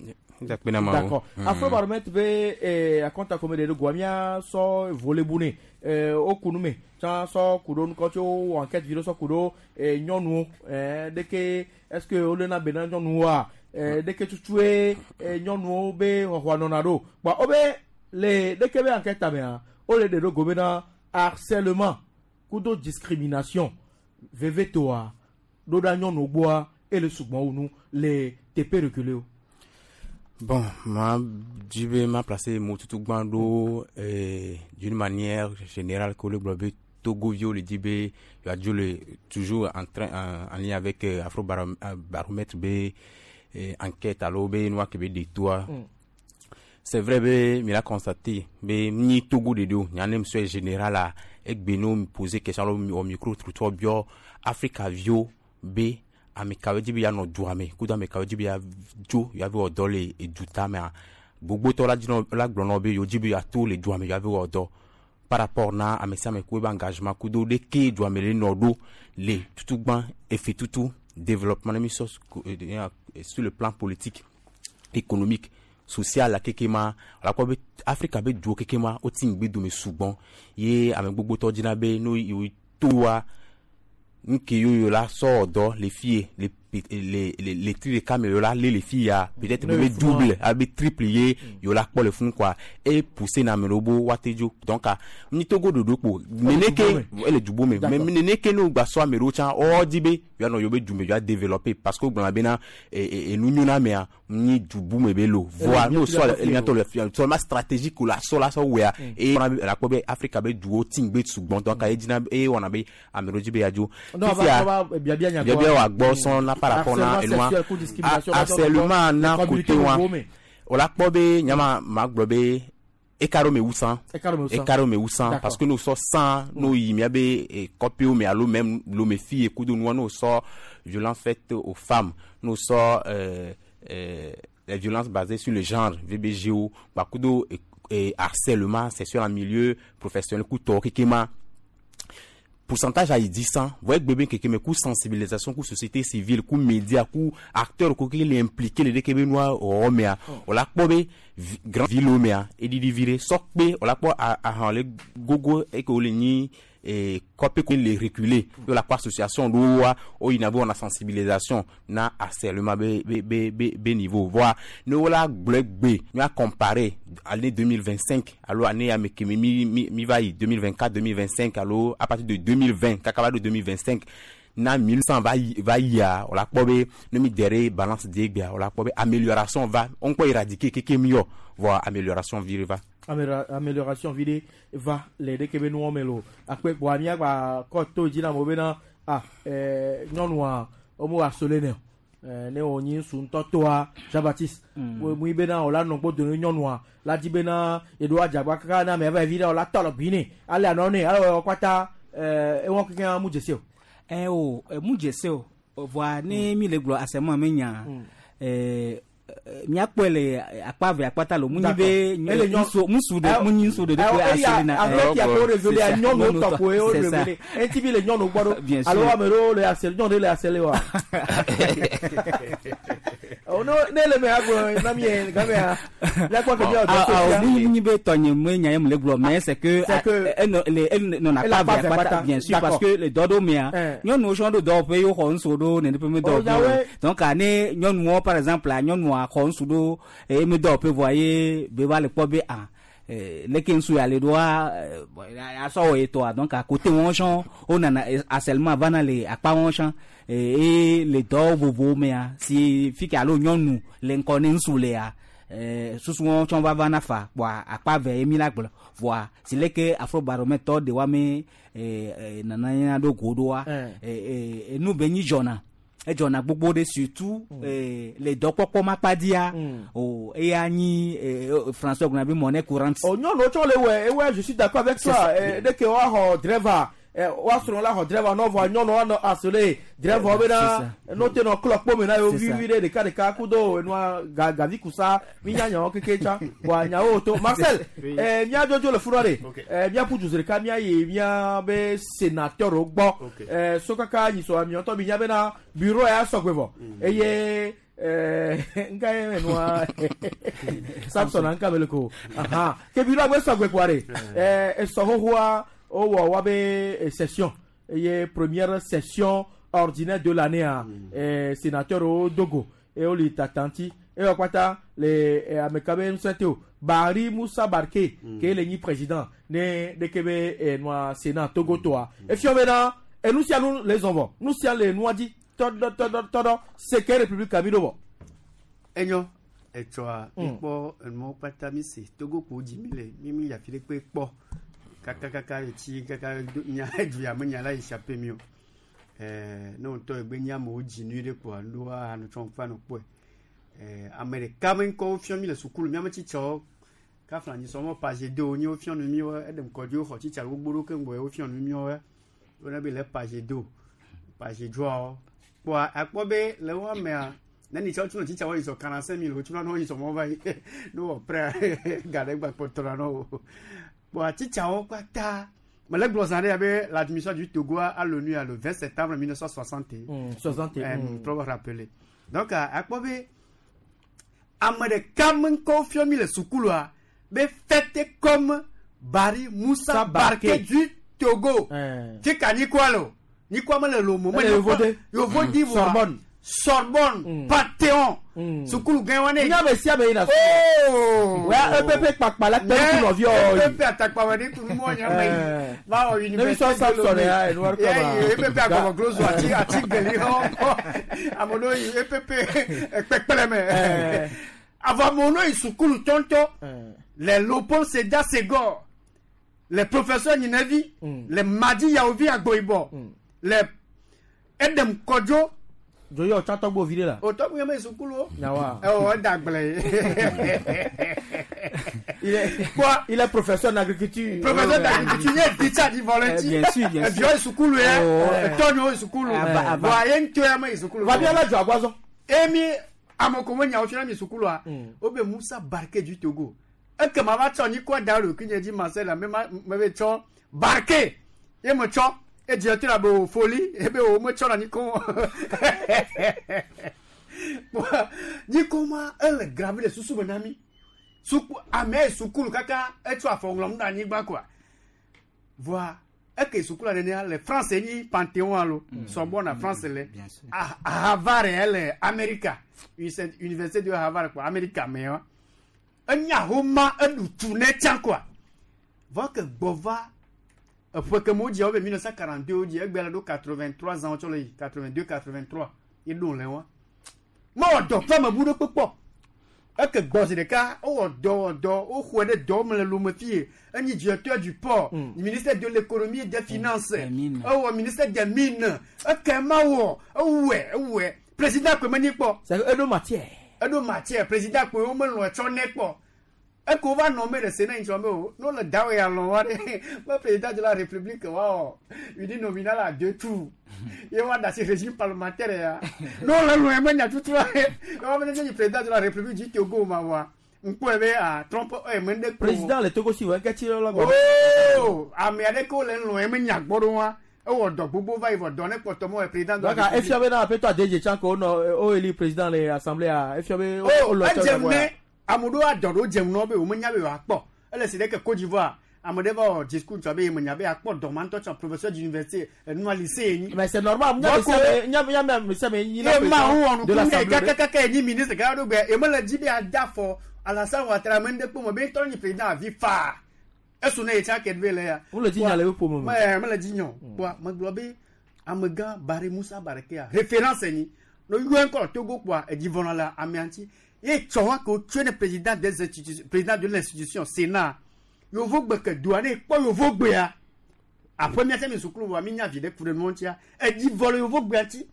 Dakpe na ma wo. D'accord. Afrobaromètre be eh, akɔnta kome ɖe ɖo goa mía sɔ volebu ne eh, wo ku nu me tsã sɔ ku ɖo nukɔ tso wɔ enquête vi ɖo sɔ ku ɖo eh, nyɔnuwo eh, ɖeke est ce que wolena be na nyɔnuwoa eh, ɖeke tutue eh, nyɔnuwo be xɔxɔa nɔna ɖo kpa wo be le ɖeke be enquête mea wole ɖe ɖo go bena harcèlement kudo discrimination vevetoa ɖo ɖa nyɔnuwo gbɔa ele sugbɔn wu nu le teƒe reculé o. Bon, moi, je vais m'a placé mo tutu gbando euh, d'une manière générale que le globe Togo vio le dit be le toujours en train en, en lien avec euh, Afro Baromètre be euh, enquête alo be noa ke be de toi. Mm. C'est vrai be mi l'a constaté be ni Togo de do nya nem soit général a egbe no mi poser question au micro trottoir bio Africa vio be ame kawo dzi be yanɔ dua me kudo ame kawo dzi be ya dzo ya ve wɔ dɔ le eduta mea gbogbotɔ la dzi la gblɔ nɔ be yewo dzi be yeato le dua me ya ve wɔ dɔ par rapport na ame sia ame ku ebe engagement kudo ɖeke dua me le nɔ ɖo le tutugbã efe tutu développement ne mi sɔ sur le plan politique économique social la keke ma ala kpɔ be Afrika be duwo keke ma woti ŋgbe dome sugbɔn ye ame gbogbotɔ dzina be no yewo toa nke yoyo la sɔ dɔ le fie le le le le tri ɖeka me yo la lé le fi ya peut-être be double abe triple ye yo la kpɔ le funu quoi e pousser na ame ɖewo bo woate dzo donc ni Togo ɖoɖo kpo neneke ele dubo me mais neneke ne wogba sɔ ame ɖewo tsã wɔ di be yoanɔ yewo be du me yoa développer parce que wogblɔna bena enu nyo na amea Ni du bu me be lo voa no so le le fi seulement stratégique la so la so wea et on a la ko be Africa be duo tingbe sugbon donc ay dina et on a be ameroji be ajo non va bia bia nya bia bia wa gbo son na par rapport na eloi harcèlement na côté wa on la ko be nyama ma gbo be ekaro me wusan ekaro me wusan parce que nous so cent nous y mi be copie mais allo même lo me fille kudo nous nous so violence faite aux femmes nous so euh Euh, les violences basées sur le genre, V B G O, bakudo et, et harcèlement sexuel en milieu professionnel, kuto kikima. Pourcentage à dix cents, voyez bébé keke coup sensibilisation, coup société civile, coup média, coup acteur, coup qui les impliqué les kebe noir romea. On la kbobe grand ville omea et di viré sokbe, on la kbo a a le gogo et que le ni et copé les reculer de la association loi au inabo on a sensibilisation na harcèlement b b b b, b niveau voir nous la bleu b nous a comparé année deux mille vingt-cinq alors année à mi mi mi va deux mille vingt-quatre deux mille vingt-cinq alors à partir de deux mille vingt kakaba de deux mille vingt-cinq na mille cent va va ya on la kbobe nous mi derrière balance d'egbia on la kbobe amélioration va on peut éradiquer keke mieux voir amélioration vire va amélioration vidé va les deux kebe nous melo après boamia ba koto dina mo bena ah eh nyonua o mo harceler ne eh ne oni sun totoa Jean-Baptiste mu bena o la no gbo de nyonua la di bena edo ajagba kaka na me va vida o la tolo bini ale anone ale o kwata eh e won kikan mu jese o eh o mu jese o voa ne mi le glo asemo me nya eh miakpɔle akpave akpata lo munyi be musu de munyi nsu de de aselina avec ya ko révéler a nyɔnu tɔ ko o révéler enti bi le nyɔnu gbɔ do alo amero le asel nyɔnu le asele wa o no ne le me agbo na mi game ya la ko ke bi o ah munyi be tɔnye me nya ye mu le gblɔ mais c'est que le non akpave akpata bien sûr parce que le dɔdo mea nyɔnu sɔn do dɔwɔƒe ye xɔ nsu do nene ƒe me dɔwɔƒe donc ane nyɔnuwo par exemple nyɔnua xɔ nsu ɖo eye mi dɔwɔƒe vɔa ye be va le kpɔ be ah leke nsu ya le ɖoa asɔ wɔ etɔa donc à côté wɔn sɔn wo nana harcèlement vana le akpa wɔn sɔn eye le dɔ vovowo mea si fi ke alo nyɔnu le ŋkɔ ne nsu lea susu wɔn tsɔn va vana fa kpɔa akpa ve ye mi la gblɔ vɔa si leke afrobaromètre de wa me nana ya ɖo go ɖoa enu be nyi dzɔna edzɔna gbogbo ɖe surtout le dɔkpɔkpɔ makpadia o eya nyi François gblɔna be monnaie courante. O nyɔnuwo tsɔ le wɔ ewɔ je suis d'accord avec toi dès que woaxɔ driver woasrɔ̃ la xɔ driver nɔvɔ nyɔnuwo anɔ asole driver bena no te nɔ klɔ kpome na yewo vivi ɖe ɖeka ɖeka kudo enua gavi kusa minya nyawo keke tsa bɔn nyawo to Marcel mía dzodzo le funua de mía ƒu du ɖeka mía yi mía be sénateur gbɔ sokaka nyisɔ miɔtɔ mi nya bena bureau ya sɔgbe vɔ eye nka ye menua Samson nka mele ko aha ke bureau agbe sɔgbe kua de esɔ xoxoa o wɔ wa be session eye première session ordinaire de l'année a sénateur o dogo eye o le tatanti eye wɔ kpata le ameka be ŋusẽ te o Barry Moussa Barké ke le nyi président ne ɖeke be nua sénat Togo toa efiɔ bena enu sia nu le zɔn vɔ nu sia le nua dzi tɔdɔ tɔdɔ tɔdɔ seke république mi ɖo vɔ. Enyo etsɔa mikpɔ enuwo kpata mi se Togo kpo dzi mi le mi mi yafi ɖe kpe kpɔ kaka kaka etsi kaka nya edu ya me nya la échappé mi o ɛɛ ne ŋutɔ egbe nye amewo dzi nyui ɖe kpoa nuɖoa anutsɔ ŋkpa no kpɔe ɛɛ ame ɖeka me ŋkɔwo fiɔ mi le sukulu miame tsitsɔwo kafla nyi sɔmɔ page deux nye wofiɔ nu mi wo eɖem kɔdzi woxɔ tsitsa gbogbo ɖo keŋ gbɔ wofiɔ nu mi wo wona be le page deux page droit kpoa akpɔ be le wo amea neni tsɔ tunu tsitsa wo yi sɔ quarante-cinq mille wotuna ne wo yi sɔ mɔ va yi ne wɔ prêt ga ɖe gba kpɔtɔra na wo kpoa tsitsawo kpata mele gblɔ zã ɖe abe l'admission du Togo à l'ONU le vingt septembre mille neuf cent soixante et un trop rappelé donc akpɔ be ame ɖeka me ŋkɔwo fiɔ mi le sukulua be fête comme Barry Moussa Barké du Togo. Tika nyikwa lo nyikwa mele lomo mele yovo di voa Sorbonne, Panthéon, sukulu gɛn wa ne. N y'a mɛ siya bɛ yen na. Ooo. O y'a E P P kpakpa la kpɛrɛ kun nɔvi ɔ. E P P atakpa wɛ ni kunu mɔ ɲa mɛ yi. Ba wɔ Ne bi sɔn Samson ya enu wari kama. E P P agɔmɔ glozo ati ati gɛli hɔ amodo yi E P P kpɛkpɛlɛ mɛ. Avamono yi sukulu tɔntɔ. Les Léopold Sédar Senghor, les professeurs Nyinavi, les Madi Yaovi Agboyibɔ, les Edem Kodjo. Joyɔ tsatɔgbo vi de la. O tɔgbu yɛ mɛ sukulu o. Nyawa. Ɛ o dagblɛ ye. Il est il est professeur d'agriculture. Professeur d'agriculture ye teacher di volontiers. Bien sûr, bien sûr. Ɛviɔ ye sukulu yɛ. Tɔnyo ye sukulu. Bon a ye ntɔ yɛ mɛ sukulu. Vabi ala jɔ agbazɔ. Emi amekomo nyawo fiana mi sukulu o bɛ Musa Barke du Togo. Ekema va tsɔ nyikɔ da ɖo kinye dzi Marcel la me ma me be tsɔ Barke ye me tsɔ edzi to la be o foli ebe o me tsɔ na nyikɔ nyikɔ ma ele grave le susu me na mi suku ame yi sukulu kaka etsɔ afɔ ŋlɔm ɖe anyigba koa voa eke sukulu nenea le France nyi Panthéon alo Sorbonne France le Harvard ele Amerika université de Harvard quoi Amerika me wa enya homa eɖu tu ne tsã koa vɔ ke gbɔ va eƒe ke me wodzi wo be mille neuf cent quarante-deux wodzi egbe le ɖo quatre-vingt-trois ans wotsɔ le yi quatre-vingt-deux quatre-vingt-trois ye ɖo le wa mewɔ dɔ ƒe me bu ɖe kpekpɔ eke gbɔ zi ɖeka wowɔ dɔ wɔ dɔ woxɔe ɖe dɔ me le Lome fie enyi directeur du port ministère de l'économie et des finances ewɔ ministère des mines eke ma wɔ ewɔe ewɔe président koe menyi kpɔ. Eɖo matière. Eɖo matière président koe wo melɔ etsɔ nɛ kpɔ eke wova nɔ me ɖe Sénat ŋutsɔ me o n'o le dawe ya lɔ wa ɖe me président de la république wa wɔ une nominale à deux tours ye wa da si régime parlementaire ya n'o le lɔ ye me nya tutu wa ye wa me ne président de la république du Togo ma wa ŋkpɔe be a Trump eye me ɖe ko Président le Togo si wɔ ŋkɛ tsi lɔ gbɔ. Oo ame aɖe ke wo le lɔ ye me nya gbɔ ɖo wa ewɔ dɔ gbogbo va yi vɔ dɔ ne kpɔtɔ mɔ président de la Donc efia be na aƒetɔ Adedze tsã ko wonɔ o eli président le assemblée a efia be o lɔ tsɔ edze ne ame ɖewo adɔ ɖewo dzem nɔ be wo menya be yewoakpɔ ele si ɖe ke Côte d'Ivoire ame ɖe va wɔ discours tsɔ be ye menya be yeakpɔ dɔ ma ŋutɔ tsɔ professeur d'université enua lycée ye nyi. Mais c'est normal nya me sia me nya nya me sia me nyi na ye ma wo wɔ nuku ne kakakaka ye nyi ministre kaka ɖo gbe ye mele dzi be ada fɔ Alassane Ouattara me ŋɖe kpɔ me be ŋutɔ nyi président avi faa esu ne ye tsa ke ɖe le ya. Wole dzi nya le eƒe ƒome me. Mɛ mele dzi nya o kpoa megblɔ be amegã Barry Moussa Barkea référence nyi no yɔ ŋkɔ Togo kpoa edzi vɔna le amea ŋuti ye tsɔ wa ko tsoe ne président des institutions président de l'institution Sénat yovogbe ke doa ne kpɔ yovogbea aƒe mia mi sukulu wa mi nya vi ɖe ku ɖe nua ŋutia edzi vɔ le yovogbea ŋuti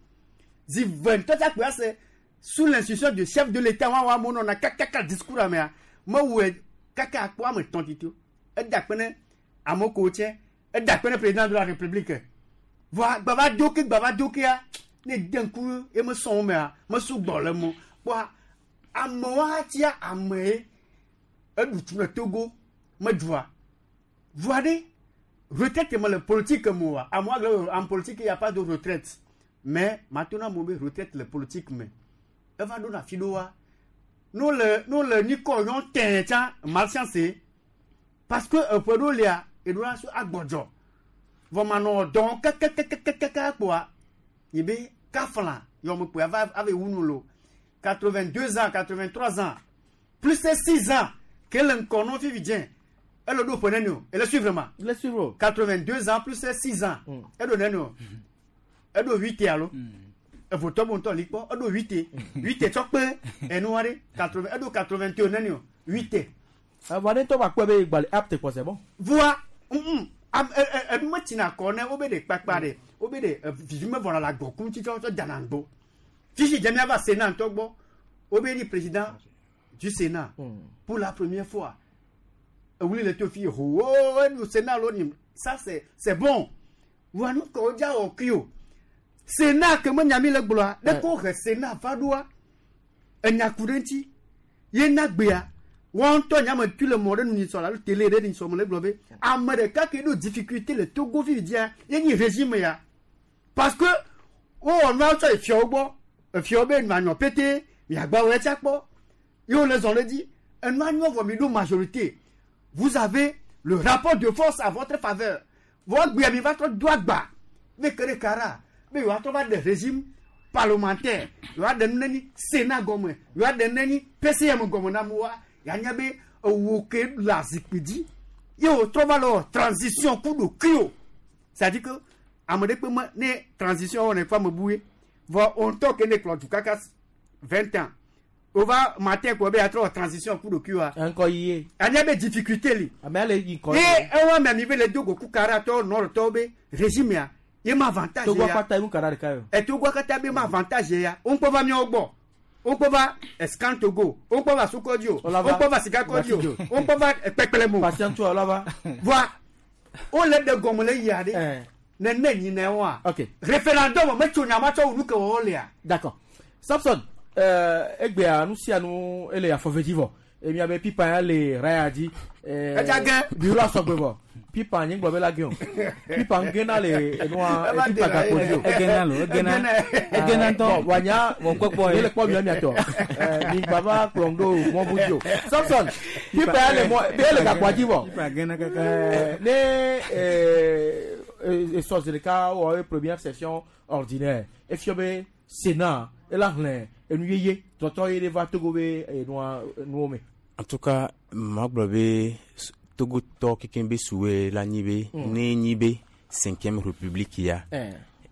zi ve ŋutɔ tsa kpea se sous l'institution du chef de l'état wa wa amewo nɔna kakaka discours amea mewɔe kaka akpɔ ame tɔn tito eda kpe ne amewo ko tsɛ eda kpe ne président de la république voa gbava do ke gbava do kea ne de ŋku ye mesɔn wo mea mesu gbɔ le mo kpoa amewo atia ame ye eɖu tu le Togo medua voa ɖe retraite me le politique me oa amewo agblɔ en politique il y a pas de retraite mais matona amewo be retraite le politique me eva ɖo na fi ɖoa no le no le nyikɔ yɔ tɛn tsã malchance parce que eƒe ɖo lia eɖo la so agbɔdzɔ vɔ manɔ dɔn kɛkɛkɛkɛkɛ kpoa yi be kafla yɔme kpoa ava ava wu nu lo quatre-vingt-deux ans quatre-vingt-trois ans plus six ans ke le ŋkɔ nɔ fifi dze ele ɖo ƒe neni o ele suivre ma ele suivre quatre-vingt-deux ans plus six ans eɖo neni o eɖo huit alo evotɔ bo ŋutɔ li kpɔ eɖo huit huit tsɔ kpe enua ɖe quatre-vingt eɖo quatre-vingt-un neni o huit. Avɔ ne tɔ ba kpɔ be gbalẽ apte kpɔ c'est bon. Voa enu metsina kɔ ne wo be ɖe kpakpa ɖe wo be ɖe vivi me vɔna le agbɔku ŋuti tsɔ tsɔ dana ŋgbo fifi dze miava Sénat ŋutɔ gbɔ wo be ni président du Sénat pour la première fois ewuli le to fi ho enu Sénat lo ni ça c'est c'est bon voa nu ke wo dza wɔ kui o Sénat ke me nyami le gblɔa ɖe ko he Sénat va ɖoa enyaku ɖe ŋuti ye na gbea wɔn ŋutɔ nyame tu le mɔ ɖe nu nyisɔ la alo télé ɖe nyisɔ me le gblɔ be ame ɖeka ke ɖo difficulté le Togo fifi dzia ye nyi régime ya parce que wowɔ nua tsɔ efiawo gbɔ efiawo be nua nyɔ pété miagba wɔ etsa kpɔ ye wole zɔn ɖe dzi enua nyɔ vɔ mi ɖo majorité vous avez le rapport de force à votre faveur vɔ gbea mi va trɔ do agba be ke ɖe kara be yewoatrɔ va ɖe régime parlementaire yewoa ɖe nu ne nyi sénat gɔme yewoa ɖe nu ne nyi PCM gɔme na amewoa yanya be ewo ke le azikpui dzi ye wòtrɔ va le wɔ transition ku ɖokui o c'est-à-dire que ame ɖe kpe me ne transition wɔnɛ kpe ame bue vɔ wo ŋutɔ ke ne kplɔ du kaka vingt ans wova matin kɔ be atrɔ wɔ transition ku ɖokui wa. Ŋkɔ yie. Anya be difficulté li. Ame le yi ŋkɔ. Ye ewa mɛ mi be le dogo ku kara tɔ nɔrɔtɔwo be régime ya ye ma avantage Togo ya. akpata emu kara ɖeka yo. Ɛ Togo akpata be ma avantage ya wo ŋkpɔ va miawo gbɔ wo ŋkpɔ va Escan Togo wo ŋkpɔ va Sokɔdi o wo ŋkpɔ va Sikakɔdi o wo ŋkpɔ va Kpɛkpɛlɛmo. Patientu ɔlɔba. Voa wo le ɖe gɔme le yia ɖe nene nyina wa. Ok. Référendum me tso nyama tsɔ wu nu ke wɔwɔ lea. D'accord. Samson euh, egbea nu sia nu ele afɔve dzi vɔ emia be pipa ya le raya dzi. Edza ge. Bureau asɔgbe vɔ pipa nye gblɔ be la ge o pipa ŋgena le enua pipa gakpo dzi o. Egena lo, egena. Egena ŋutɔ. Bon, wanya Wɔ kpɔkpɔ ye. ye le kpɔ mia miatɔ mi gba va kplɔm ɖo mɔbu dzi o. Samson pipa ya le mɔ be ele gakpoa dzi vɔ. Pipa gena kaka. Euh, ne euh, esɔ zi ɖeka wɔ ye première session ordinaire efia be sénat ela xlẽ enu yeye tɔtɔ ye ɖe va Togo be enua nuwo me. En tout cas, magblɔ be Togotɔ kekem be suwe la nyi be Mm. ne nyi be cinquième république ya Eh.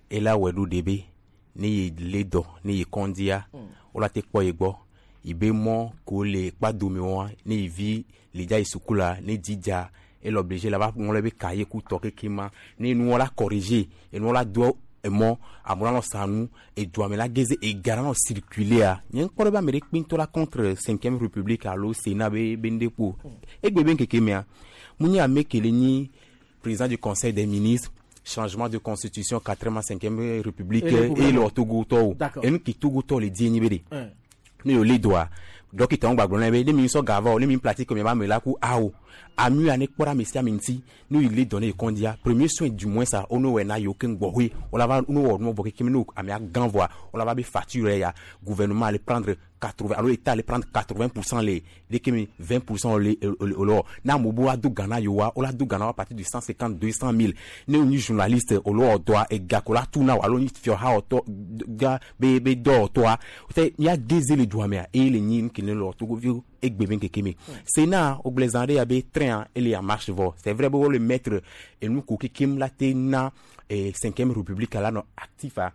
ela wɔ ɖo de be ne ye le dɔ ne ye kɔndia Mm. wola te kpɔ ye gbɔ yi be mɔ ko le kpadome wa ne yi vi le dza yi suku la ne dzi dza ele obligé la va ŋlɔ be cahier ku tɔ keke ma ne nuwɔ la corriger enuwɔ la do emɔ amewo la nɔ sa nu eduame la geze ega la nɔ circuler a nye ŋkpɔ ɖe be ame ɖe kpe ŋutɔ la contre cinquième république alo sénat be be ŋɖe kpo egbe be ŋkeke mea mu nye ame ke le nyi président du conseil des ministres changement de constitution quatrième à cinquième république Et le et gouvernement. le Togotɔwo D'accord. enu ke Togotɔ le di enyi be de Eh. ne yio le doa dɔkita ŋu gbagblɔ na be ne mi sɔ gava o ne mi pratique mi ba me la ku awo ami ya ne kpɔ ɖe ame sia ame ŋuti ne yi le dɔ ne yi kɔndia premier soin du moins sa wo ne wɔe na yewo keŋ gbɔxɔe wo la va ne wɔ nuwɔ vɔ kekem ne amea gã vɔa wo la va be facture ya gouvernement ale prendre quatre-vingts alo état ale prendre quatre-vingts pour cent le de kemi vingt pour cent le o le wɔ ne amewo bo la do gã na yewoa wo la do gã na wo à partir de cent cinquante deux cent mille ne wo nyi journaliste alo wɔ dɔa ega ko la tu na wo alo nyi fiɔha wɔtɔ ga be be dɔwɔtɔa te mía geze le dua mea eye le nyi nu ke ne le wɔ togoviwo egbe be ŋkeke me sénat wogblɔ zã ɖe ya be train ele en marche vɔ c'est vrai be wo le mettre enu ko kekem la te na eh, cinquième république la nɔ actif a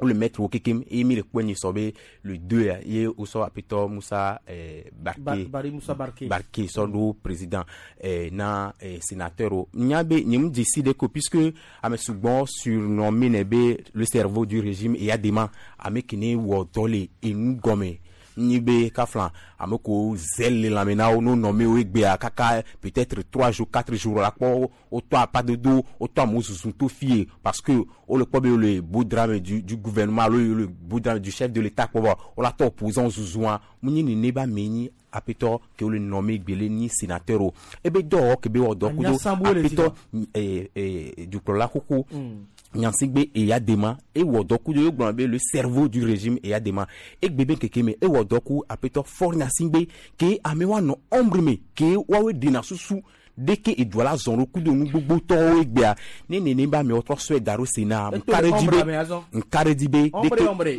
wo le mettre wo kekem eye mi le kpɔe nyi sɔ be le deux ya ye wosɔ apetɔ Musa eh, Ba- Barke Bari Musa Barke. Barke sɔ ɖo président eh, na eh, sénateur o nya be nye mu dzesi ɖe ko puisque ame sugbɔ surnommé ne be le cerveau du régime eyadema ame ke ne wɔ dɔ le enu gɔme nyi be kafla ame ko zèle le lãme na wo no nɔme wo egbea kaka peut-être trois jours quatre jours la kpɔ wotɔ apadodo wotɔ amewo zuzu to fie parce que wole kpɔ be le beau drame du, du gouvernement alo le beau drame du chef de l'état kpɔ bɔ wola tɔ opposant zuzua mu nyi nene be ame nyi apetɔ ke wole nɔme gbele nyi sénateur o ebe dɔwɔwɔ ke be wɔ dɔ kudo Anyasambo le apetɔ eh, eh, dukplɔla xoxo Mm. Nyansigbe Eyadema ewɔ dɔ kudo ye gblɔ be le cerveau du régime Eyadema egbe be ŋkeke me ewɔ dɔ ku apetɔ Faure Gnassingbé ke amewo anɔ ombre me ke woawoe ɖena susu ɖeke edua la zɔn ɖo kudo nu gbogbo tɔwo egbea ne nene be amewo trɔ sɔe da ɖo sénat Eto nka le ɖe dzi ombre be ame azɔ. nka ɖe dzi be Ombre, ɖeke ombre.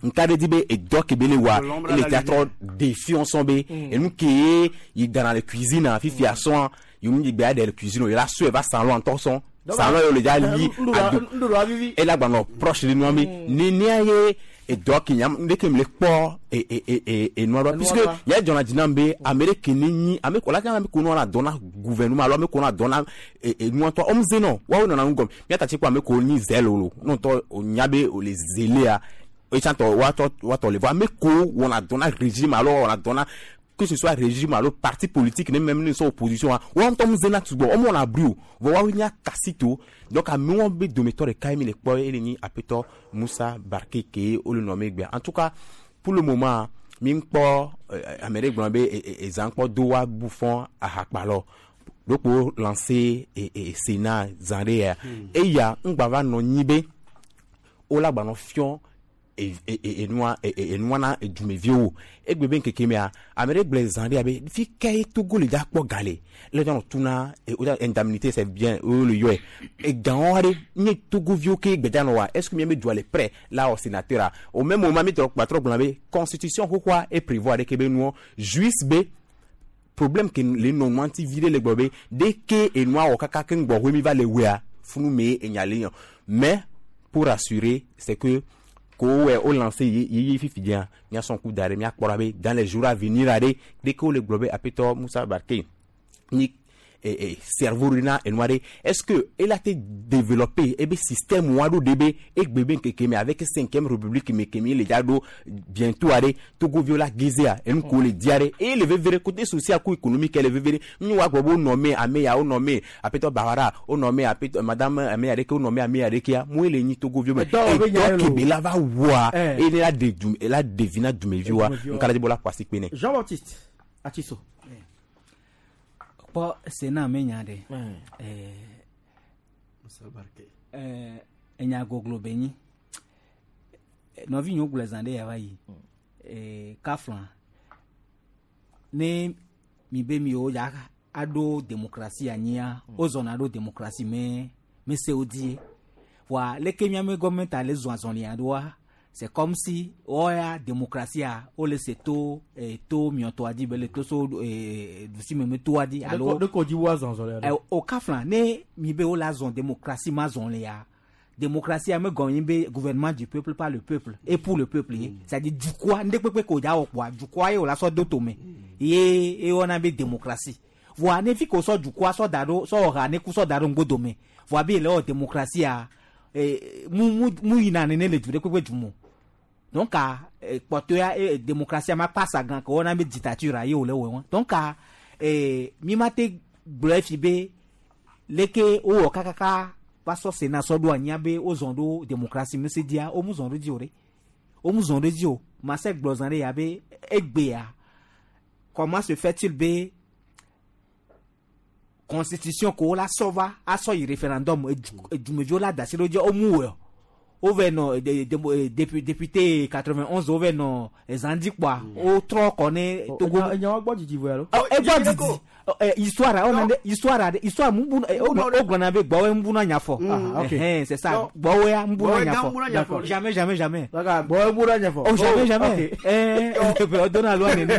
nka ɖe dzi be edɔ ke be le wa L'ombre à ele la tia trɔ défi sɔn be enu ke ye yi dana le cuisine fifia sɔn yomu yi gbe aɖe le cuisine o yi la sɔe va salon ŋutɔ sɔn salon ye wo le dza li ado Nuɖuɖu avivi. ela gbanɔ proche de nua mi nenea ye edɔ ke nyam ɖeke mi le kpɔ e e e e enua ɖoa puisque ɖoa. ya dzɔna dzi nam be ame ɖe ke ne nyi ame ko la ke ame ko nɔna dɔ na gouvernement alo ame ko nɔna dɔ na e e nua ŋutɔ ɔmu ze nɔ woawo nɔna nu gɔme míata tsi kpɔ ame ko nyi zɛl o lo ŋutɔ o nya be o le zelea etsãtɔ woatɔ woatɔ le vɔ ame ko wɔna dɔ na régime alo wɔna dɔ na que ce soit régime alo parti politique ne même ne sɔ opposition wa wɔn ŋutɔ mu zena sugbɔ wɔn wɔna bri o vɔ woawo nya kasito donc amewo be dometɔ ɖeka ye mi le kpɔ ele nyi apetɔ Musa Barke ke wo le nɔ megbea en tout cas pour le moment mi ŋkpɔ ame ɖe gblɔ be ezã kpɔ do wa bu fɔ ahakpalɔ ɖokpo lancé e e sénat zã ɖe ya eya ŋgba va nɔ nyi be wola gbanɔ fiɔ enua enua na edumeviwo egbe be nkeke mea ame ɖe gblɔ zã ɖe abe fi ke ye Togo le dza kpɔ ga le le dza nɔ tuna o dza indemnité c'est bien o le yɔe egawo aɖe nye Togoviwo ke gbe dza nɔ wa est ce que miabe dua le prêt la wɔ sénateur a au même moment mi trɔ gba trɔ gblɔ be constitution xoxoa e prévoir ɖe ke be nuɔ juste be problème ke le nɔ nua ŋuti vi ɖe le gblɔ be dès que enua wɔ kaka ke ŋgbɔ hoe mi va le wea funu me enya le yɔ mais pour rassurer c'est que ko wɛ o lancé ye fifi dia miasɔn ku da ɖe miakpɔ ɖa be dans les jours à venir aɖe dès que wo le gblɔ be apetɔ Moussa Barké ni eh, eh, cerveau ɖe na enua ɖe est ce que ela te développer ebe système wa ɖo ɖe be egbe be ŋkeke me avec cinquième république me ke mi le dza ɖo bientôt aɖe Togoviwo la gezea enu ko le dia ɖe eye le veve ɖe côté social ko économique le veve ɖe nu wa gbɔ be wo nɔme ame ya wo nɔme apetɔ Bawara wo nɔme apetɔ madame ame ya ɖeke wo nɔme ame ya ɖekea mo le nyi Togoviwo me edɔ kebe la va wɔa eye la de du la de vi na dumeviwoa nkala dzi bo la ƒo asi kpe nɛ. Jean Baptiste Atiso. Kpɔ Sénat me nya ɖe ɛɛ enya goglo be nyi nɔvi nyewo gblɔ zã ɖe ya va yi ɛɛ kafla ne mi be miwo ya aɖo démocratie anyia wozɔna ɖo démocratie me me sewo die voa leke miame gɔmɛnta le zɔn azɔlia ɖoa c'est comme si wɔya démocratie a wole se to eh, to miɔtɔa dzi be le to so eh, dusime toa dzi alo de ko dzi wo azɔn zɔlia eh, o kafla ne mi be wole azɔn démocratie ma zɔlia démocratie ame gɔme nyi be gouvernement du peuple par le peuple et pour le peuple ye c'est à dire dukɔa ŋɖe kpekpe ko dza wɔ kpoa dukɔa ye wòle sɔ do tome ye ewɔna be démocratie voa ne fi ko sɔ dukɔa sɔ da ɖo sɔ wɔ ha ne ku sɔ da ɖo ŋgbodome voa be le wɔ démocratie eh, mu mu mu yina nene le du ɖe kpekpe du mo donc eh, kpɔtɔya eh, démocratie ma pasa gan ke wɔna be dictature ye wòle wɔ wɔn donc eh, mi ma te gblɔ efi be leke wowɔ kakaka va sɔ Sénat sɔ ɖo anyia be wozɔn ɖo démocratie me se dia wo mu zɔn ɖo dzi o ɖe wo mu zɔn ɖo dzi o ma se gblɔ zã ɖe ya be egbea comment se fait-il be constitution ko la sɔ va asɔ yi référendum edumeviwo la da asi ɖo dzi wo mu wɔ o vɛ nɔ de député quatre-vingt-onze o vɛ nɔ zandi kpoa o trɔ kɔ ne Togo. Enya wa gbɔ didi vɔ alo. Egbɔ didi histoire o na histoire histoire mu bu o gblɔna be gbɔwɔ mu buna nya fɔ. C'est ça gbɔwɔ ya mu buna nya fɔ jamais jamais jamais. Gbɔwɔ mu buna nya fɔ. Oh jamais jamais ɛɛ o donna loi nene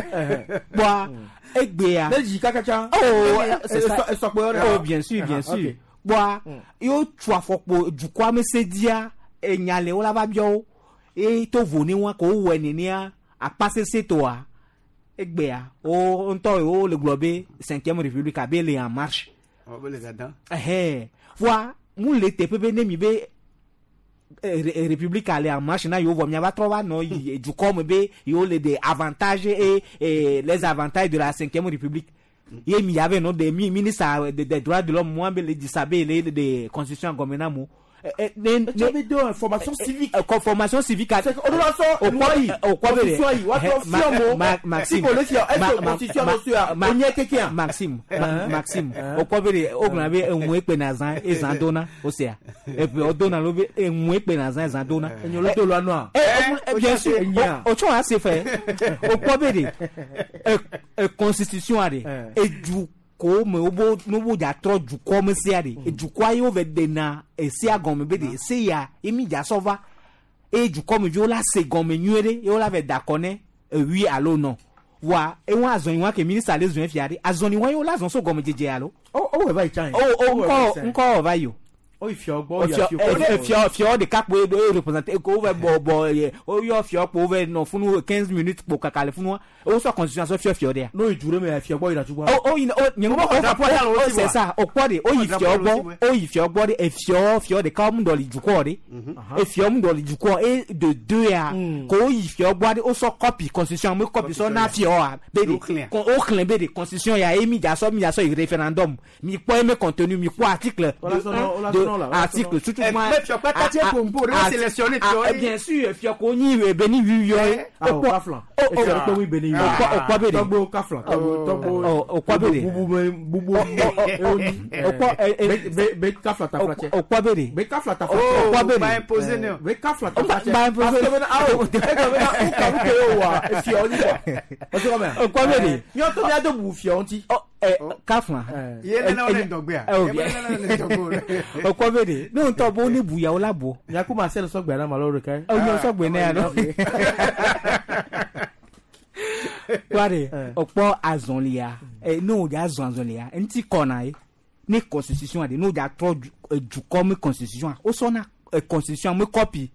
kpoa egbea. Ne dzi kakatsa. Oh c'est ça esɔkpɔ oh bien sûr bien sûr kpoa yóò tu afɔkpo dukɔa me se dia enya le wo la va biɔ wo eye to vo ne wa ko wowɔe nenea akpa sese toa egbea wo ŋutɔ wo le gblɔ be cinquième république abe le en marche. Ɛhɛn voa mu le teƒe be ne mi be république le en marche na yewo vɔ miava trɔ va nɔ yi dukɔ me be yewo le des avantages et, et les avantages de la cinquième république ye mi yave nɔ de mi ministre des droits de l'homme moi be le disa be le de constitution gɔme na mo. Ne be do formation civique. Formation civique. O do la sɔ loi yi constitution yi wa trɔ fiɔ mo. Maxime si ko le fiɔ est ce que constitution no suya o nye keke Maxime Maxime o kɔ be de o gblɔna be emu ekpe na zã ezã dona o sea epe o dona lo be emu ekpe na zã ezã dona. Enyo lo do loi noa. Bien sûr o tsɔ ase fɛ o kɔ be de constitution a de edu ko me wo no wo dza trɔ dukɔ me sia de dukɔa ye wo vɛ dena esia gɔme be de ese ya emi dza sɔ va eye dukɔ me viwo la se gɔme nyuie ɖe ye wo la vɛ da kɔ ne ewi alo nɔ wa eŋu azɔnyi wa ke minista le zɔn fia ɖe azɔnyi wa ye wo la zɔn so gɔme dzedze alo. O o wɛ va yi tsã ye. O o ŋkɔ ŋkɔ wɔ va yi o. O yi fiɔ gbɔ yi fiɔ fiɔ ɖeka kpo ye représente ko wo vɛ bɔ bɔ ye o yɔ fiɔ kpo wo vɛ nɔ funu quinze minutes kpo kaka le funua o sɔ constitution sɔ fiɔ fiɔ de ya. N'o yi du ɖe me fiɔ gbɔ yina tukua. O o yi o nye ŋu o o c'est ça o kpɔ de o yi fiɔ gbɔ o yi fiɔ gbɔ de efiɔ fiɔ ɖeka mu dɔ li dukɔ de efiɔ mu dɔ li dukɔ e de deux ya ko o yi fiɔ gbɔ de o sɔ copie constitution me copie sɔ na fiɔ wa be de o xlẽ be de constitution ya ye mi dza sɔ mi dza sɔ yi référendum mi kpɔ eme contenu mi kpɔ article de article tutu ma Mais fiɔ kpata tse pompo, ɖe sélectionné fiɔ ye. Bien sûr, fiɔ ko nyi beni yuyɔ ye. Ah, o kaflan. Efiɔ ɖe kpe wi beni yuyɔ. O kɔ be de. Tɔgbo kaflan. Tɔgbo O kɔ be de. Bubu me bubu. O kɔ Be be be kaflan ta fila cɛ. O kɔ be de. Be kaflan ta fila cɛ. O kɔ be de. Ba imposer ne o. Be kaflan ta fila cɛ. Ba imposer. Parce que bena awo. E gblɔ bena wo kalu ke ye wa efiɔ nyi quoi. O se kɔmɛ. O kɔ be de. Miɔ to mia do bubu fiɔ ŋuti. Ɛ kaflan. Ye nana wo ne ŋdɔgbe a. Eh, Ye nana wo ne ŋdɔgbe o. O kɔ be de. Ne ŋutɔ bo ne buya wo la bo. Miaku ma se le sɔgbe na ma lɔ ɖeka. O nye sɔgbe ne ya lɔ. Kura de o kpɔ azɔlia ɛ ne o dza zɔn azɔlia ŋuti kɔna ye ne constitution de ne o dza trɔ dukɔ me constitution o sɔna constitution me copie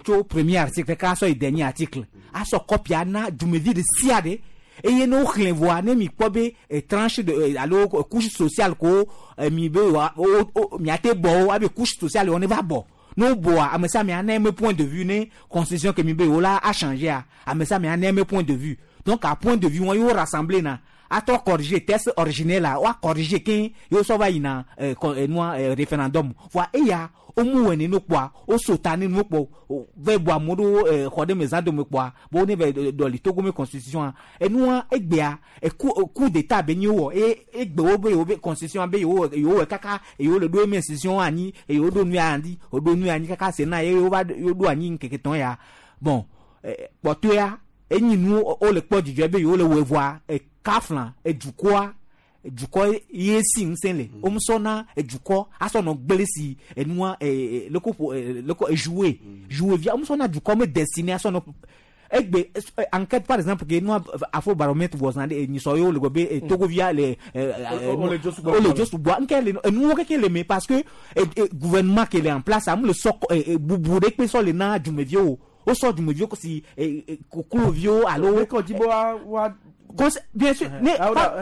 tso premier article k'a sɔ yi dernier article a sɔ copie ana dumevi de sia de eye ne wo xlẽ vɔa ne mi kpɔ be tranche de alo couche sociale ko mi be wa o o miate bɔ o abe couche sociale wo ne va bɔ n'o bɔa ame sia ame ana eme point de vue ne constitution ke mi be wo la a changer a ame sia ame ana eme point de vue. Donc à point de vue wọn yóò rassembler na atɔ corriger texte originel la wa corriger ke yóò sɔ va yina ɛ nua référendum voa eya o mu wɛ nínú kpɔa o sota nínú kpɔ vɛ bɔ amewo ɖo xɔ ɖe me zã dome kpɔa bo ne vɛ dɔli Togo me constitution a enua egbea eku coup d'état be nyi wɔ eye egbe wo be yewo be constitution be yewo yewo wɔ kaka yewo le ɖo eme institution anyi yewo ɖo nu anyi o ɖo nu anyi kaka se na ye yewo va yewo ɖo anyi ŋkeke tɔn ya bon kpɔtɔea enyi nu o le kpɔ dzidzɔ be yewo le wɔ voa ekafla edukɔa edukɔ ye si ŋusẽ le wo musɔna edukɔ asɔnɔ gblẽ si enua ee leko ƒo ee leko ejoue joue via wo musɔna dukɔ me destiné asɔnɔ egbe enquête par exemple ke nua afrobaromètre wɔ zã ɖe enyisɔ yewo le gbɔ be Togovia le ee O le dzo sugbɔ. o le dzo sugbɔ nke le enuwo keke le me parce que gouvernement ke le en place amu le sɔ bubu ɖe kpe sɔ le na dumeviwo o sɔ dumeviwo si kokloviwo alo. Ekɔ dzi be wa wa. Bien sûr ne pa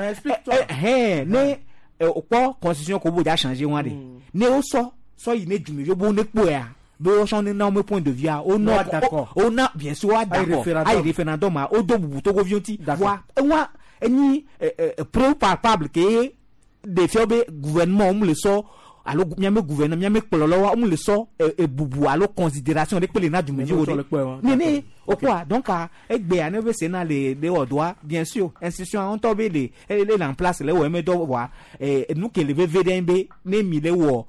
ne o kpɔ constitution ko bo dza changer wa de ne o sɔ sɔ yi ne dumeviwo bo ne kpɔa be o sɔ ne na wo point de vue a o nɔ o na bien sûr wa d'accord ayi référendum a o do bubu Togoviwo ŋuti voa ewa enyi preuve palpable ke ɖevia be gouvernement mu le sɔ alo miame gouvernement miame kplɔlɔwo wo le sɔ ebubu alo considération ɖe kpe le na dumeviwo de nene o kɔa donc egbea ne be Sénat le le wɔ dɔa bien sûr institution ŋutɔ be le le le en place le wɔ eme dɔ vɔa nu ke le veve ɖe be ne mi le wɔ